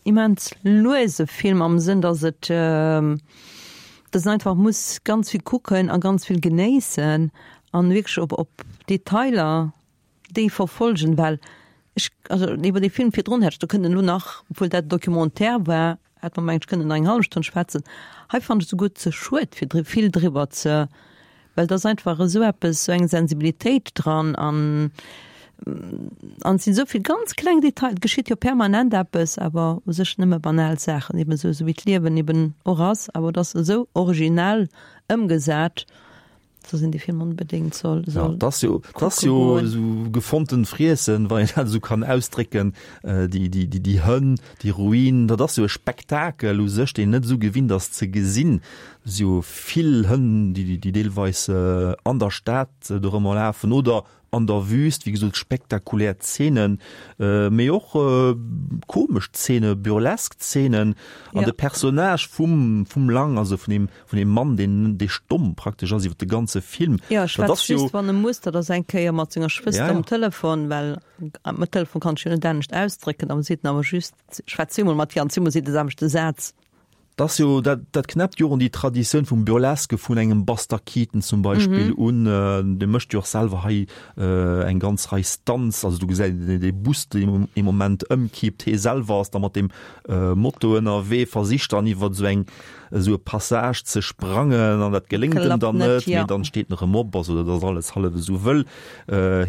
immens luese Film am Sënn, datt et, datt een einfach muss ganz vill kucken a ganz vill genéissen an wierklech op, op Detailer déi verfolgen, well ech, also iwwer dee Film virdrun hätt ech do kënnen elo nach, obwuel dat e Documentaire war, hätt mer mengen ech kënnen nach eng hallef Stonn schwätzen. Hei fannen ech souguer ze schued fir dri vill driwwer ze, well et ass einfach esou eppes, esou eng Sensibilitéit dran an an et sinn esou vill ganz kleng Detail, et geschitt jo permanent eppes, awer u sech nëmme banal Saachen, eben esou esou wéi d'Liewen eben och ass, awer et ass esou originell ëmgesat. Dass een dee Film onbedéngt soll, soll ja, das jo, das jo so gefonnten Friessen, wann een dat esou kann ausdrécken, äh, déi, déi, déi, déi Hënn, déi Ruin, dat ass jo e Spektakel u sech, deen net esou gewinnt ass ze gesinn. Si jo vill Hënn, déi, déi deelweis äh, an der Stad dorëmmer lafen oder An der Wüst, wéi gesot, spektakulär Zeenen, mee och komesch Zeene, burlesk Zeenen. An de Personnage vum, vum Lang, also vun deem, vun deem Mann, deen, dee stomm praktesch ass iwwer de ganze Film. Jo, e schwätzt just, wann e muss. Dat ass eng Kéier mat senger Schwëster um Telefon, well um Telefon kann ech jo net anescht ausdrécken. Da seet en awer just, schwätz zweemol mat hir an zweemol seet e de selwechte Saz. 't ass jo, dat, dat knäppt jo och un déi Traditioun vum Burlesque vun engem Buster Keaton zum Beispill un. Dee mécht jo och selwer hei eng ganz Rei Stunts. Also do gesäit een dee Bus, deen ee Moment ëmkippt. Hie selwer ass da mat deem Moto ënnerwee, versicht dann iwwer esou eng, esou e Passage ze sprangen an dat geléngt em dann net, mee dann steet en erëm op. Also dat ass alles hallef esou wëll.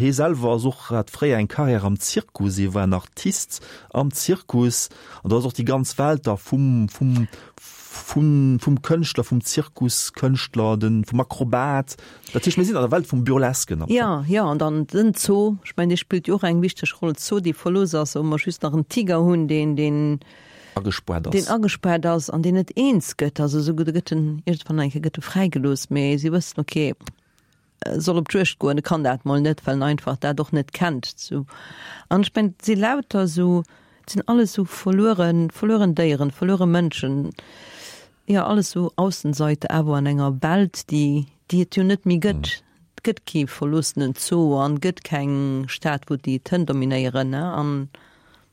Hie selwer ass och, hat fréier eng Carrière am Zirkus, hie war en Artist am Zirkus. An do ass och déi ganz Welt da vum, vum, vum, vum Kënschtler, vum Zirkuskënschtler, den, vum Akrobat. Dat heescht, mir sinn an der Welt vum Burlesquen am Fong. Jo, jo, an dann den Zoo, ech mengen, dee spillt jo och eng wichteg Roll, Zoo, dee verlooss ass, wou mer just nach en Tiger hunn, deen, deen. Agespaart ass. Deen agespaart ass an deen net eens gëtt. Also esouguer, do gëtt en, iergendwann eng Kéier gëtt e fräigelooss, mee si wëssen, okay, soll op d'Juegd goen, e kann dat mol net, well en einfach dat och net kennt. Sou. An ech mengen, et si lauter esou, et sinn alles esou verlueren, verlueren Déieren, verluere Mënschen, jo, alles esou Aussenseiter awer an enger Welt, déi, déi et jo net méi gëtt. Et gëtt kee verloossenen Zoo an et gëtt keng Stad, wou déi d'Hënn dominéieren, ne. An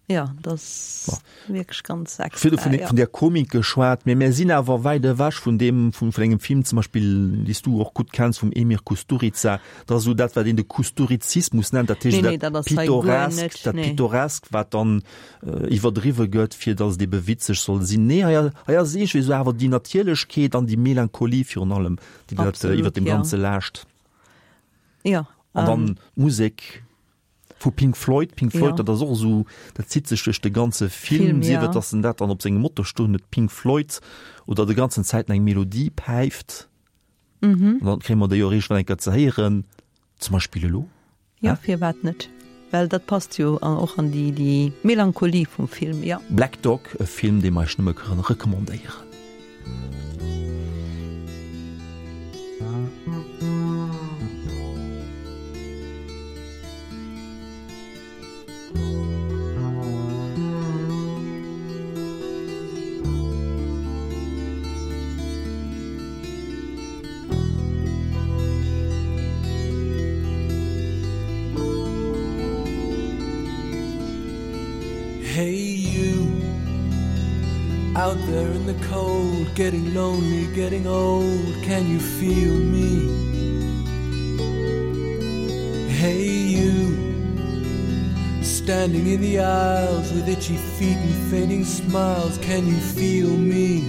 Jo, dat ass wierklech ganz extra. Virdru vun, vun der Komik geschwat, mee mär sinn awer wäit ewech vun deem, vun, vun engem Film zum Beispill, dee s du och gutt kenns, vum Emir Kusturica. Dat ass esou dat, wat een de Kusturizismus nennt, dat heescht Nee, nee, dat Pittoresk, dat Pittoresk, wat dann iwwerdriwwe gëtt, fir datt et ebe witzeg soll sinn. Nee, hei, hei ass iergendwéi esou awer déi Natierlechkeet an déi Melancholie virun allem, déi dat iwwert dem Ganze laascht. Jo. An dann d'Musek. Vu Pink Floyd. Pink Floyd, dat ass och esou, dat zitt sech duerch de ganze Film, sief et, datt en dat dann op sengem Moto stoen huet, Pink Floyd, oder de ganzen Zäiten eng Melodie päift. An dann kréie mer déi och iergendwann eng Kéier ze héieren, zum Beispill elo. Jo, firwat net? Well dat passt jo och an déi, déi Melancholie vum Film, jo. Black Dog, e Film, dee mer iech nëmme kënnen recommandéieren. Hey you Out there in the cold Getting lonely, getting old Can you feel me? Hey you Standing in the aisles With itchy feet and fainting smiles Can you feel me?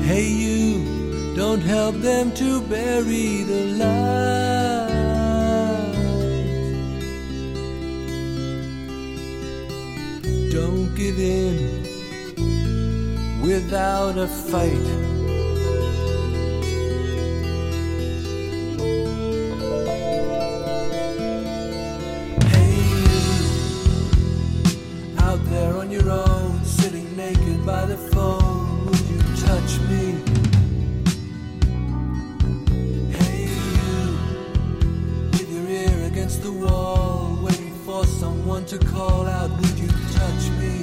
Hey you Don't help them to bury the light Don't give in Without a fight. Hey you, out there on your own, sitting naked by the phone, would you touch me? Hey you, with your ear against the wall, waiting for someone to call out, would you touch me?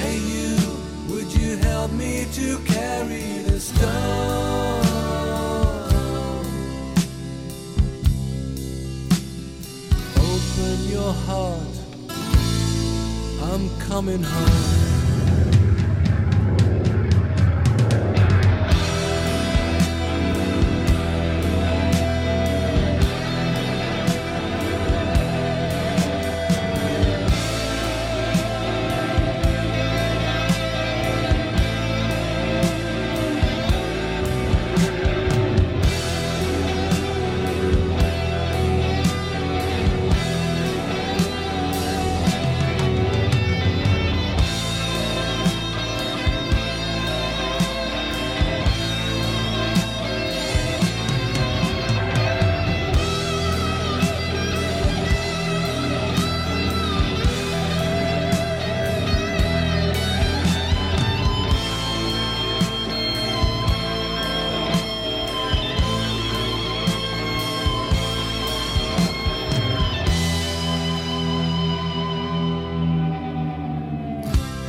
Hey you, would you help me to carry the stone? Open your heart, I'm coming home.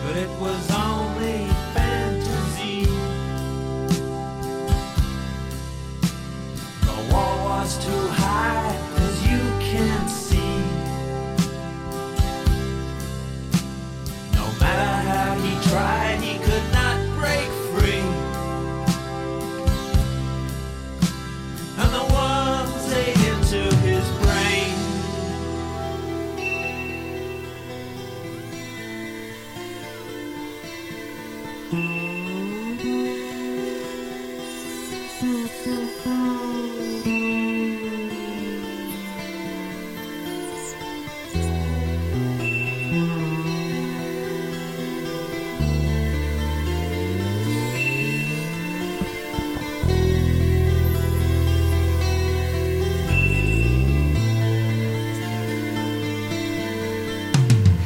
But it was only fantasy. The wall was too high, as you can see. No matter how he tried, he could not break free. And the worms ate into his brain.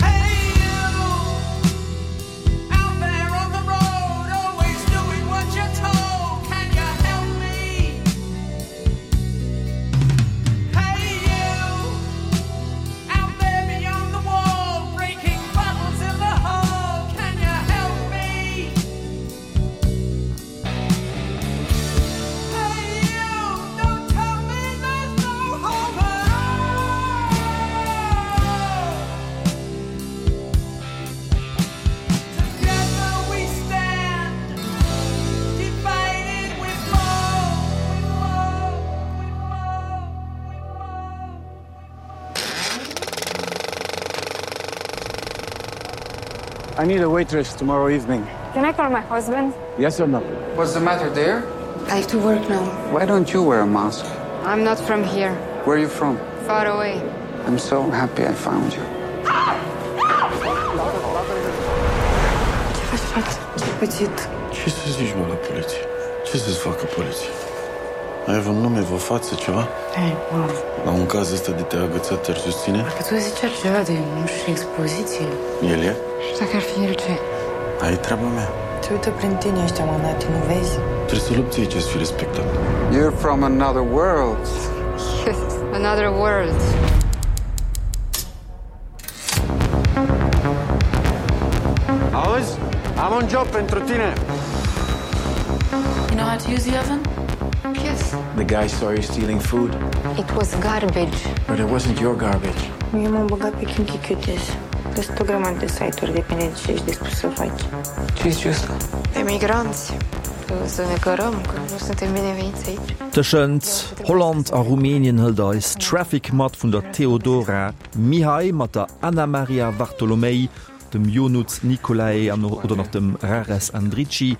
Hey you, out there on the road, always doing what you're told. Can you help me? Hey you, out there beyond the wall, breaking bottles in the hall. Can you help me? Hey you, don't tell me there's no hope at all. Together we stand, divided we fall. I need a waitress tomorrow evening. Can I call my husband? Yes or no? What's the matter there? I have to work now. Why don't you wear a mask? I'm not from here. Where are you from? Far away. I'm so happy I found you. Ce faci, frate? Ce pățit? Ce să zici, mă, la poliție? Ce să-ți facă poliție? Ai vreun nume, vreo față, ceva? Ei, mă. La un caz ăsta de te-a agățat, te-ar susține? Dacă tu zici ceva de, nu știu, expoziție. El e? Și dacă ar fi el ce? Ai treaba mea. Te uită prin tine ăștia, mânate, nu vezi? Trebuie să lupți aici să fii respectat. You're from another world. Yes, another world. Auzi? Am un job pentru tine. You know how to use the oven? Yes. The guy saw you stealing food. It was garbage. But it wasn't your garbage. Eu m-am băgat pe Kinky Cuties. Sunt o grămadă de site-uri, depinde de ce ești dispus să faci. Ce zici ăsta? Emigranți. Să ne cărăm, că nu suntem bineveniți aici. Tëschent Holland a Rumänien hëlt eis Traffic mat vun der Teodora Mihai mat der Anna Maria Vartolomei, dem Ionuț Nicolae an oder nach dem Rares Andrici.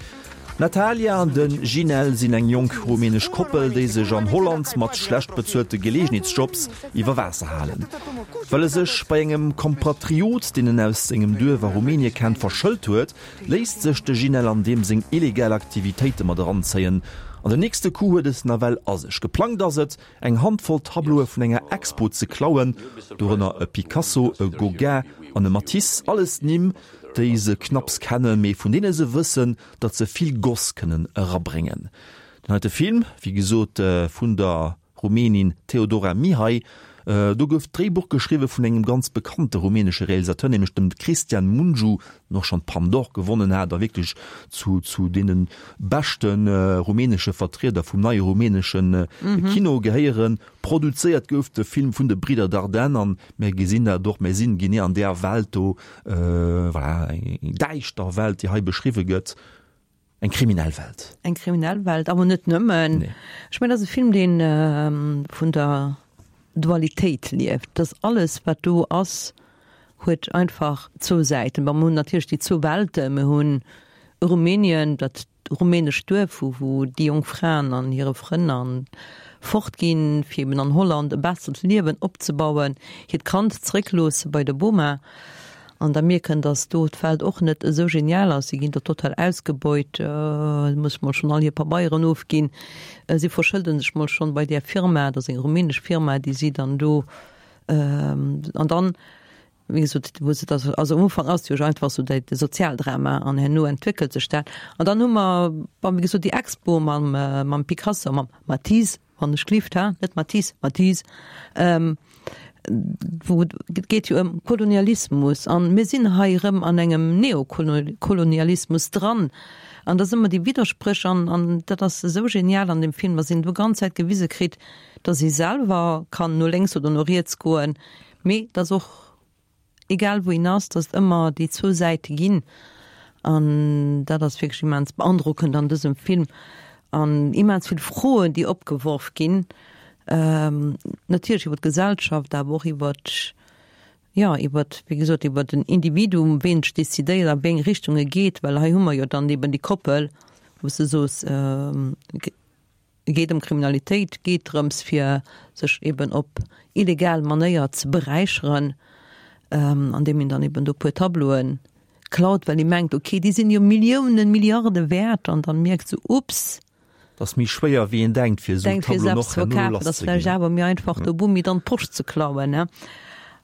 D'Natalia an de Ginel sinn eng jonk rumänesch Koppel, déi sech an Holland mat schlecht bezuelte Geleegenheetsjobs iwwer Waasser halen. Well e sech bei engem Kompatriot, deen en aus sengem Duerf a Rumänie kennt, verschëlt huet, léisst sech de Ginel an deem seng illegal Aktivitéite mat eranzéien. An den nächste Coup huet et nawell a sech. Geplangt ass et, eng Handvoll Tableaue vun enger Expo ze klauen, dorënner e Picasso, e Gauguin an e Matisse, alles Nimm, déi se knapps kennen, mee vun deene se wëssen, datt se vill Goss kënnen erabréngen. Den heite Film, wéi gesot vun der Rumänin Teodora Mihai, do gouf d'Dréibuch geschriwwe vun engem ganz bekannte rumänesche Realisateur, nämlech dem Cristian Mungiu, deen och schonn d'Palme d'Or gewonnen hat a wierklech zu zu deene beschte rumänesche Vertrieder vum neie rumänesche Kino gehéieren. Produzéiert gouf de Film vun de Bridder Dardenne an mir gesinn dat och, mir sinn genee an där Welt do, voilà, eng däischter Welt, déi hei beschriwwe gëtt, eng kriminell Welt. Eng kriminell Welt, awer net nëmmen. Nee. Ech mengen, dat ass e Film, deen vun der Dualitéit lieft, dass alles, wat do ass, huet einfach zwou Säiten. Bon, mir hunn natierlech déi zwou Welten, mir hunn Rumänien, dat rumänescht Duerf, wou wou déi jonk Fraen an hire Frënn an fort ginn, fir eben an Holland e bessert Liewen opzebauen, hiert Kand zeréckloosse bei der Boma an da mierken, dass do d'Welt och net esou genial ass. Si ginn do total ausgebeut, si musse mol schonn all hir Pabeieren ofginn, si verschëlde sech mol schonn bei där Firma, dat ass eng rumänesch Firma, déi si dann do an dann Wéi gesot, wou se da, also am Ufank ass jo einfach esou de Sozialdrama an herno entwéckelt sech dat. An dann hu mer, bon, wéi gesot, déi Expo mam, mam Picasso, mam Matisse, wann ech gelift, ha, net Matisse, Matisse, wou et geet jo ëm Kolonialismus an mir sinn hei erëm an engem Neokolonialismus dran. An da si mer déi Widderspréch an, an dat ass esou genial an deem Film, dass een do ganz Zäit gewise kritt, dass ee selwer kann no lénks oder no riets goen, Mee et ass och, egal wou een ass, datt et ëmmer déi zwou Säite ginn. An dat ass wierklech immens beandrockend an dësem Film. An immens vill Froen, déi opgeworf ginn, natierlech iwwer d'Gesellschaft, awer och iwwer, jo, iwwer, wéi gesot, iwwer den Individuum, ween sech decidéiert, a wéi eng Richtung e geet. Well hei hu mer jo dann eben déi Koppel, wou s de soos, Et geet ëm Kriminalitéit, geet drëms fir sech eben op illegal Manéier ze beräicheren, andeem een dann eben do puer Tableaue klaut, well ee mengt, ok, déi sinn jo Milliounen, Milliarde wäert, an dann mierkt se, ups. Et ass méi schwéier wéi een denkt fir esou Tableauen och herno lass ze ginn. Et ass vläicht awer méi einfach do Bummi dann d'Posch ze klauen, ne?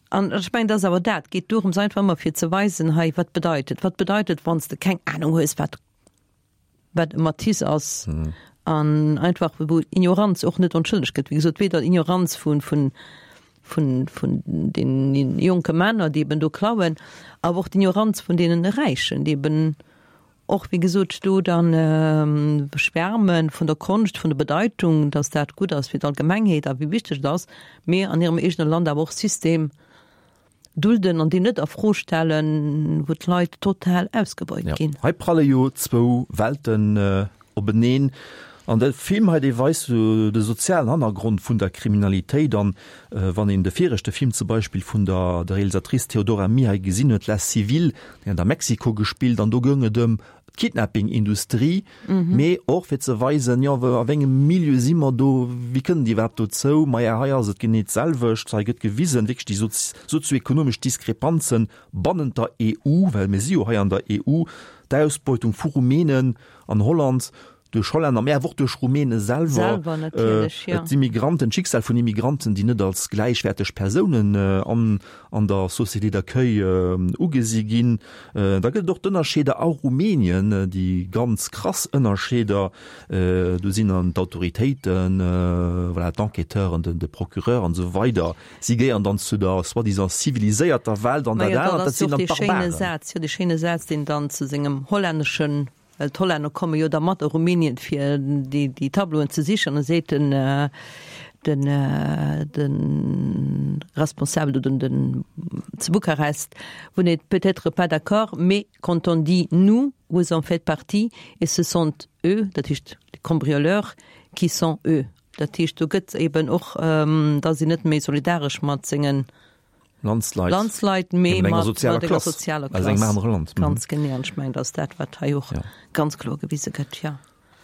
An ech mengen, dat ass awer dat, et geet dorëms einfach ëmmer fir ze weisen, hei wat bedeit et, wat bedeit et wann s de keng Anung hues wat wat e Matisse ass an einfach wou Ignoranz och net entschëllegt gëtt. Wéi gesot, weder Ignoranz vun vun vun vun den jonke Männer, déi eben do klauen, awer och d'Ignoranz vun deenen Räichen, déi eben och, wéi gesot, do dann schwärme vun der Konscht, vun der Bedeitung, datt dat gutt ass fir d'Allgemengheet a wéi wichteg et ass, mee an hirem eegene Land awer och System dulden an déi net a Fro stellen, wou d'Leit total ausgebeut ginn. Hei pralle jo zwou Welten openeen. An de Film hei, dee weist jo de sozialen Hannergrond vun der Kriminalitéit. An wann een de viregte Film zum Beispill vun der der Realisatrice Theodora Mihai gesinn huet, La Civile, déi hat a Mexiko gespillt, an do goung et ëm d'Kidnapping-Industrie, mee och fir ze weisen, jo, a wéi engem Milieu si mer do, wéi kënnen déi iwwerhaapt dozou? Maja, hei ass et genee d'selwecht. Hei gëtt gewisen, wierklech déi sozioekonomesch Diskrepanzen bannent der EU, well mir si jo hei an der EU, d'Ausbeutung vu Rumänen an Holland, Duerch Hollänner, mä awer och duerch Rumäne selwer. Selwer natierlech, jo. D'Immigranten, d'Schicksal vun Immigranten, déi net als gläichwäerteg Persounen an an der Société d'accueil ugesi ginn. Da gëtt et och d'Ënnerscheeder a Rumänien, déi ganz krass Ënnerscheeder. Do sinn dann d'Autoritéiten, voilà, d'Enquêteuren, de Procureur an esou weider. Si gehéieren dann zu der soi-disant ziviliséierter Welt an dat anert, dat sinn dann d'Barbaren. Jo, dee schéine Saz, deen dann zu sengem hollänneschen Well d'Hollänner komme jo da mat a Rumänien fir déi Tableauen ze sichen. An da seet den den den Responsabel do den den zu Bukarest, Vous n'êtes peut-être pas d'accord, mais quand on dit nous, vous en faites partie et ce sont eux, dat heescht les cambrioleurs, qui sont eux. Dat heescht do gëtt eben och, da sinn net méi solidaresch mat sengen. Landsleit, Landsleit mee mat enger sozialer Klass, sozialer aus engem anere Land. Ganz genee, an ech mengen, dat ass dat, wat hei och ganz kloer gewise gëtt, jo.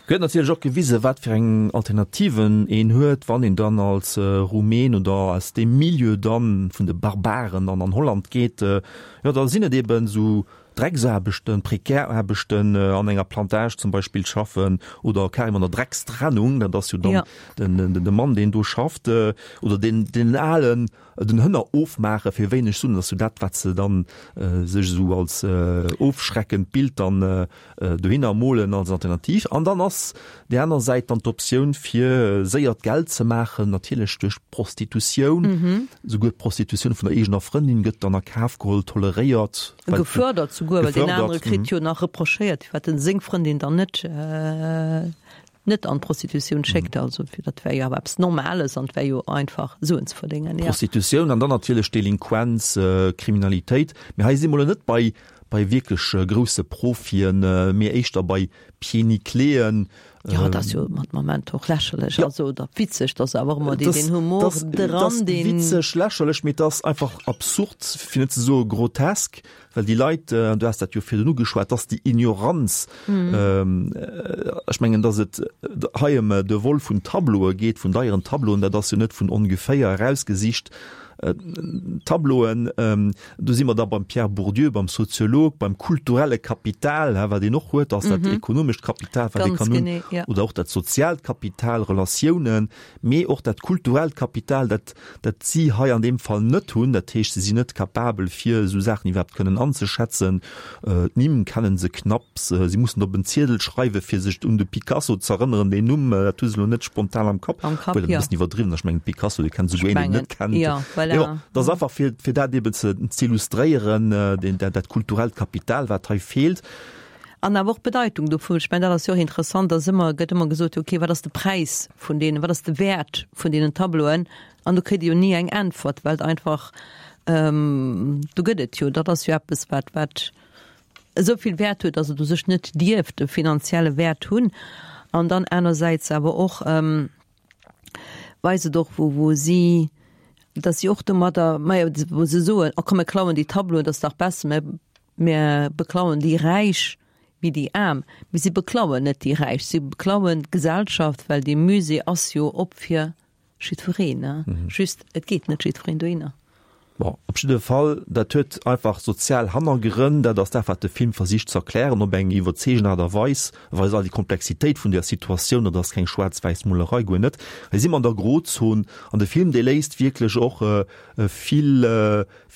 Gëtt natierlech och gewise wat fir eng Alternativen een huet, wann een dann als Rumän oder aus deem Milieu dann vun de Barbaren dann an Holland geet. Jo, da sinn et eben esou Drecksaarbechten, prekär Aarbechten an enger Plantage zum Beispill schaffen oder carrément an der Dreckstrennung, dat ass jo dann de Mann, deen do schafft oder deen den alen den Hënner ofmaache fir wéineg Suen, dat ass jo dat, wat se dann sech esou als ofschreckend Bild dann dohinner molen als Alternativ. An dann ass déi aner Säit dann d'Optioun fir séiert Geld ze maachen, natierlech duerch Prostitutioun. Souguer d'Prostitutioun vun der eegener Frëndin gëtt dann a Kaf geholl, toleréiert. Gefördert souguer, well deen anere kritt jo nach reprochéiert, firwat en seng Frëndin dann net net an d'Prostitutioun schéckt. Also fir dat wär jo awer eppes Normales an et wär jo einfach Suen ze verdéngen. Ja. Prostitutioun an dann natierlech Delinquenz, Kriminalitéit. Mee hei si mer elo net bei bei wierklech grousse Profien, mee éischter bei Pieds-nickeléen. Jo, dat ass jo mat Moment och lächerlech, also oder witzeg, dat ass awer och ëmmer deen deen Humor dran, deen. Dat ass witzeg, lächerlech, mee et ass einfach absurd, fir net ze soe grotesk. Well déi Leit, an du has dat jo virdrun ugeschwat, dass déi Ignoranz, ech mengen, dass et hei ëm de Vol vun Tableaue geet, vun deieren Tableauen, dat ass jo net vun ongeféier erausgesicht. Tableauen, do si mer da beim Pierre Bourdieu, beim Soziolog, beim kulturelle Kapital, wat een och huet, ass dat ekonomescht Kapital, wat ee kann hunn, oder och dat soziaalt Kapital, Relatiounen, mee och dat kulturellt Kapital, dat dat si hei an deem Fall net hunn. Dat heescht, se sinn net capabel, fir esou Saachen iwwerhaapt kënnen anzeschätzen. D'Nimm kennen se knapps, si mussen op en Ziedel schreiwen, fir sech un de Picasso z'erënneren. Deen Numm, dat hu se elo net spontan am Kapp, obwuel dat e bëssen iwwerdriwwen ass. Ech mengen, Picasso, dee kennt esouguer een, deen en net kennt. Mee bon, dat ass einfach, fir, fir dat eeben ze, z'illustréieren, deen, dat, dat kulturellt Kapital, wat hei feelt. An awer och d'Bedeitung dovun. Ech mengen, dat ass jo och interessant, dass ëmmer, gëtt ëmmer gesot, okay, wat ass de Präis vun deenen, wat ass de Wäert vun deenen Tableauen? An do kritt ee jo ni eng Äntwert, well et einfach, do gëtt et jo, dat ass jo eppes, wat, wat esou vill Wäert huet, dass et u sech net dierft e finanzielle Wäert hunn. An dann anersäits awer och weist et och, wou, wou si, dass si och domadder, majo, wou se soen, oh komm, mir klauen déi Tableauen, dat ass dach besser, mir Mir beklauen déi Räich wéi déi Aarm, mee si beklauen net déi Räich, si beklauen d'Gesellschaft, well dee Musée ass jo op fir jiddwereen, just et geet net jiddwereen dohinner. Bon, op jidde Fall, dat huet einfach sozial Hannergrënn, dat ass dat wat de Film versicht ze erklären op eng iwwerzeegend Aart a Weis, e weist all déi Komplexitéit vun där Situatioun, dat ass keng schwaarz-wäiss Molerei, guer net. Hei si mer an der Grozon an de Film dee léisst wierklech och vill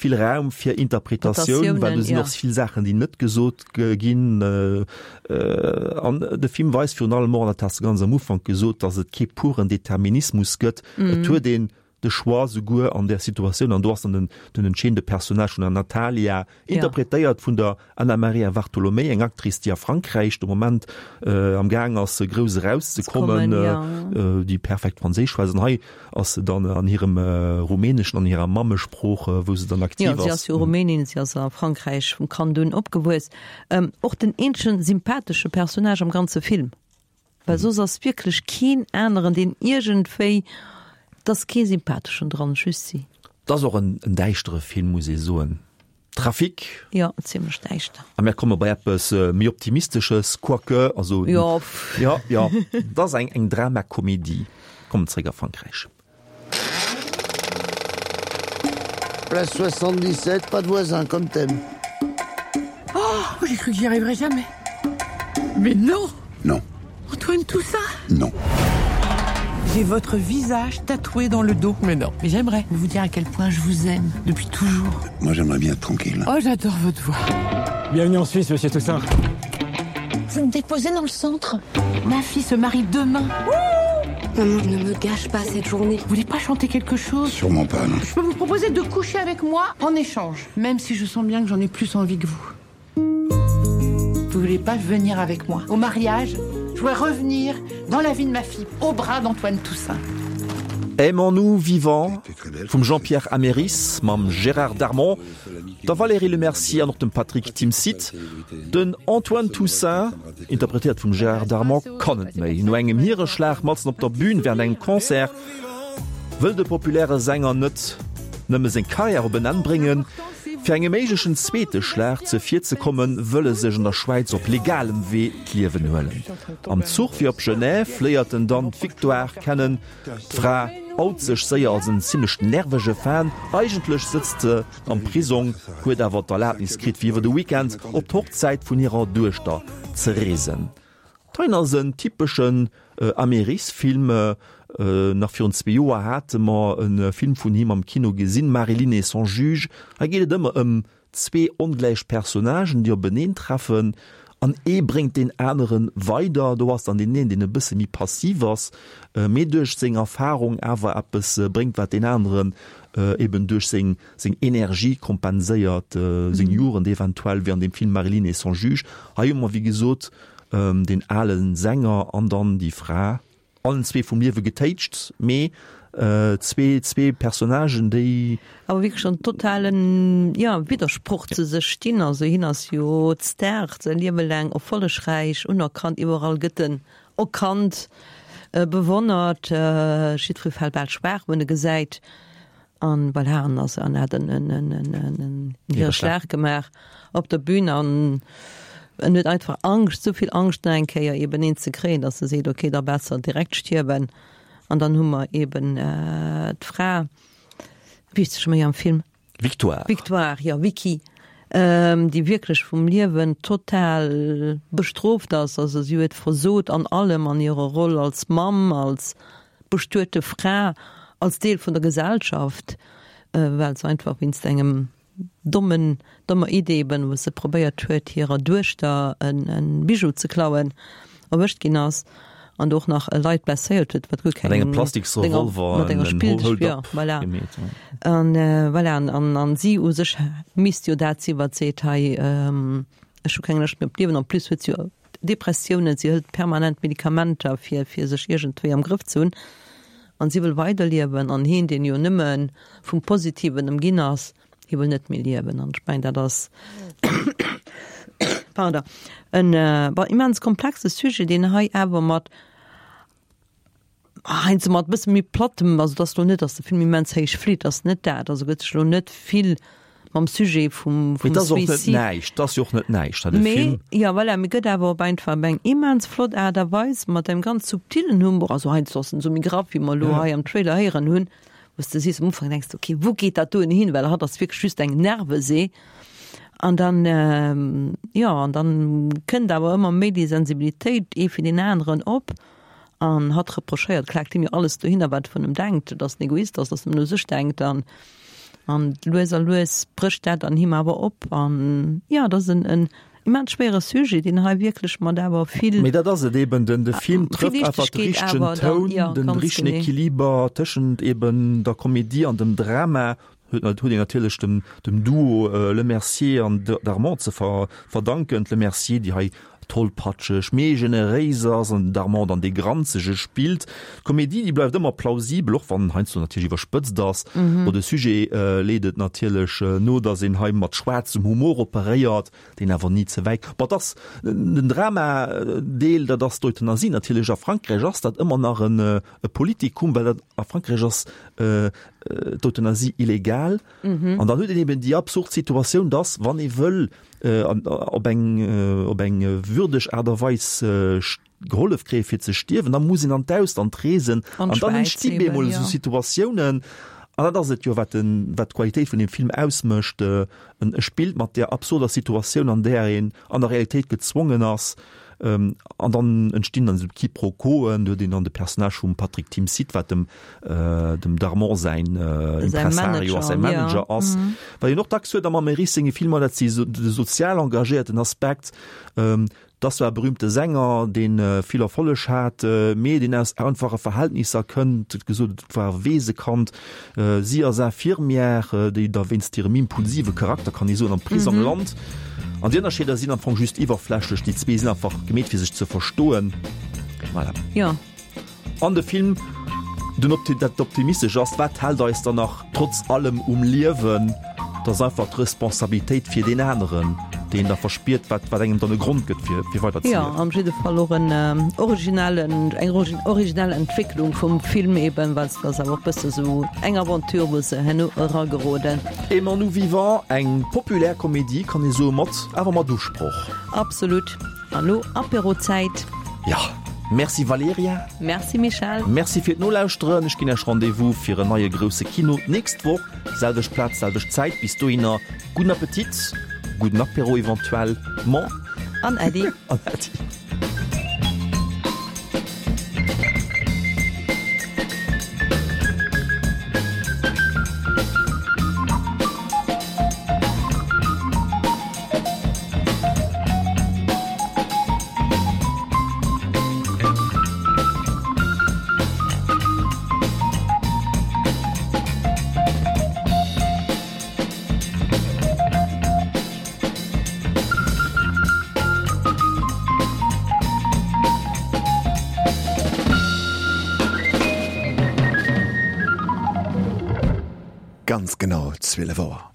Vill Raum fir Interpretatioun, well do sinn och vill Saachen, déi net gesot ginn. An de Film weist virun allem och, an dat has de ganz am Ufank gesot, datt et kee puren Determinismus gëtt. Et huet een de Choix souguer an där Situatioun, an do ass dann den, den entscheedende Personnage vun der Natalia, interpretéiert vun der Anna Maria Vartolomei, eng Actrice, déi a Frankräich de Moment am Gaang ass, grouss erauszekommen, déi perfekt Franséisch schwätzt. An hei ass se dann an hirem Rumäneschen, an hirer Mammesprooch, wou se dann aktiv ass. Jo, si ass jo Rumänin, si ass a Frankräich vum Kand un opgewuess. Och den eenzegen sympathesche Personnage am ganze Film. Well soss ass wierklech keen aneren, deen iergendwéi, et ass kee sympatheschen dran, just si. Et ass och en däischtere Film, muss ee soen. Trafic. Jo, zimlech däischter. A mär komme bei eppes méi Optimistesches, quoique, also. Jo. Jo, jo, et ass eng Dramakomedie. Kommen zréck a Frankräich. Place 77, pas de voisin comme t'aimes. Oh, j'ai cru que j'y arriverais jamais. Mais non Non. Antoine Toussaint Non. J'ai votre visage tatoué dans le dos. Mais non. Mais j'aimerais vous dire à quel point je vous aime depuis toujours. Moi j'aimerais bien être tranquille. Oh j'adore votre voix. Bienvenue en Suisse, monsieur Toussaint. Vous me déposez dans le centre. Ma fille se marie demain. Ouh Maman, ne me gâche pas cette journée. Vous voulez pas chanter quelque chose Sûrement pas, non. Je peux vous proposer de coucher avec moi en échange, même si je sens bien que j'en ai plus envie que vous. Vous voulez pas venir avec moi au mariage Je voudrais revenir dans la vie de ma fille au bras d'Antoine Toussaint. Aimons-nous vivants vum Jean-Pierre Améris mam Gérard Darmon, der Valérie Lemercier an och dem Patrick Timsit. Den Antoine Toussaint, interpretéiert vum Gérard Darmon, kann net méi. No engem Niereschlag matzen op der Bün wärend engem Concert wëll de populäre Sänger net. Nëmme seng Karriär op en Enn bréngen. Fir engem méiglechen zweete Schlag zevirzekommen, wëll e sech an der Schwäiz op legalem Wee d'Liewen huelen. Am Zuch fir op Genève léiert en dann d'Victoire kennen. D'Fra out sech séier als en zimmlech nervege Fan. Eigentlech sëtzt se am Prisong, huet awer d'Erlabnis kritt fir iwwer de Weekend op d'Hochzäit vun hirer Duechter ze reesen. D'Hein ass en typeschen Américfilm. Nach virun zwee Joer hate mer e Film vun him am Kino gesinn, Marie-Line et son juge. Hei geet et ëmmer ëm zwee ongläich Personnagen, déi openeen treffen an ee bréngt deen anere weider. Do ass dann deen een, deen e bësse méi passiv ass, mee duerch seng Erfarung awer eppes bréngt, wat deen aneren eben duerch seng seng Energie kompenséiert, seng Jugend eventuell, wéi an deem Film Marie-Line et son juge. Hei hu mer, wéi gesot, deen ale Sänger an dann déi Fra, allen zwee vum Liewe getéitscht, mee zwee, zwee Personnagen, déi. Awer wierklech an totalen, jo, Widdersproch zu sech stinn. Also hien ass jo d'Star, säi Liewe laang erfollegräich, unerkannt, iwwerall gëtt en erkannt, bewonnert, jiddweree fält bal schwaach, wann e gesäit. An voilà, an ass an hat en en en en en en hire Schlag gemaach op der Bühn an en huet einfach Angscht, souvill Angscht nach eng Kéier eben een ze kréien, datt e seet, okay, da besser direkt stierwen. An dann hu mer eben d'Fra, wéi heescht se scho méi am Film? Victoire. Victoire, jo, Vicky, déi wierklech vum Liewen total bestrooft ass. Also si huet versot an allem, an hirer Roll als Mamm, als bestuete Fra als Deel vun der Gesellschaft, well se einfach wéinst engem dommen, dommer Idee eben, wou se probéiert huet hirer Duechter en Bijou ze klauen, erwëscht ginn ass an do och nach Leit blesséiert huet, wat guer keng. Mat engem Plastiksrevolver mat enger Spilltüch, jo, voilà. An voilà, an an si u sech misst jo dat sinn, wat seet, hei ech hu keng Lëscht méi op d'Liewen, en plus huet se jo Depressiounen, si hëlt permanent Medikamenter fir fir sech iergendwéi am Grëff ze hunn an si wëll weiderliewen an hien, deen jo nëmme vum Positiven ëmginn ass, hie wëll net méi liewen an ech mengen dat ass pardon en bon immens komplexe Sujet, deen hei awer mat Heiansdo mat e bësse méi plattem, also et ass lo net, datt de Film immens héich flitt, ass net dat, also gëtt sech lo net vill mam Sujet vum Mee vum et ass och net Suicide. näischt, et ass jo och net näischt, hei de Mee Film. jo, voilà, mee gëtt awer op einfach op eng immens flott Aart a Weis mat engem ganz subtilen Humor, also heiansdo ass en esou méi graff, wéi mer elo hei am Trailer héieren hunn, wou s de sees am Ufank, denks de, okay, wou geet dat doen hin, well hatt ass wierklech just eng Nervesee an dann, jo, an dann kënnt awer ëmmer méi déi Sensibilitéit ee fir deen aneren op. An hatt reprochéiert, klaakt him jo alles dohinner, wat e vun em denkt, dass en Egoist ass, dass en nëmmen u sech denkt. An, an lues a lues brécht dat an him awer op. An jo, et ass en, en immens schwéiere Sujet, deen hei wierklech mat awer vill. Mee dat ass et eben, den, de Film vill trëfft einfach de Liichtegkeet richtegen awer dann, Toun, jo, den ganz richtegen genee. Equiliber tëschent eben der Komedie an dem Drama. Huet een natierlech dem dem Duo Lemercier an Darmon ze verdanken. D'Lemercier, déi hei tollpatscheg, mee generéis ass, an den Darmon dann dee Granzege spillt. D'Komedie, déi bleift ëmmer plausibel, och wann heiansdo natierlech iwwerspëtzt ass. Bon, de Sujet leet et natierlech no, datt een hei mat schwaarzem Humor operéiert, deen awer ni ze wäit. Bon, et ass den Drama-Deel, dat ass d'Euthanasie natierlech. A Frankräich ass dat ëmmer nach en e Politikum, well dat a Frankräich ass d'Euthanasie illegal. An dann huet een eben déi absurd Situatioun, dass, wann ee wëll op eng op eng würdeg Aart a Weis gehollef kréie fir ze stierwen, da muss een an d'Ausland reesen. An dann entsti bemol esou Situatiounen. An dat ass et jo, wat den, wat d'Qualitéit vun dem Film ausmécht. En e spillt mat där absurder Situatioun, an där een an der Realitéit gezwongen ass, An dann entstinn dann esou Quiproquoen, do huet een dann de Personnage vum Patrick Timsit, wat dem dem Darmon säin Impresario ass, säi Manager ass. Wat een och dacks huet am Amérisse senge Filmer, dat si de sozial engagéierten Aspekt. Et ass zwar e berühmte Sänger, dee vill Erfolleg hat, mee deen aus einfache Verhältnisser kënnt, et gesot, et war e Weesekand. Si ass Infirmière, déi da wéinst hirem impulsive Charakter, kann ee soen, am Prisong lant. An déi Ënnerscheeder sinn am Fong just iwwerflächlech. Déi zwee sinn einfach gemeet fir sech ze verstoen. Voilà. Jo. An de Film, den Opti dat optimistesch ass, wat hält eis dann nach trotz allem um Liewen? Dat ass einfach d'Responsabilitéit fir deen aneren. Déi een da verspiert, wat, wat engem dann e Grond gëtt, fir, fir weider ze Jo, am jidde Fall och en originellen, eng originell Entwécklung vum Film eben, well et ass awer och bësse sou eng Aventure, wou se herno erageroden. Aimons-nous vivants, eng populär Komedie, kann ee soen, mat, awer mat Usproch. Absolut. An lo Apéro-Zäit. Jo, merci Valerija. Merci Michèle. Merci fir d'Nolauschteren. Ech ginn Iech Rendez-vous fir en neie grousse Kino d'nächst Woch, selwecht Plaz, selwecht Zäit. Bis dohinner, gudden Appetit, gudden Apéro eventuellement. An Äddi. An Äddi. Ganz genau 12 Auer.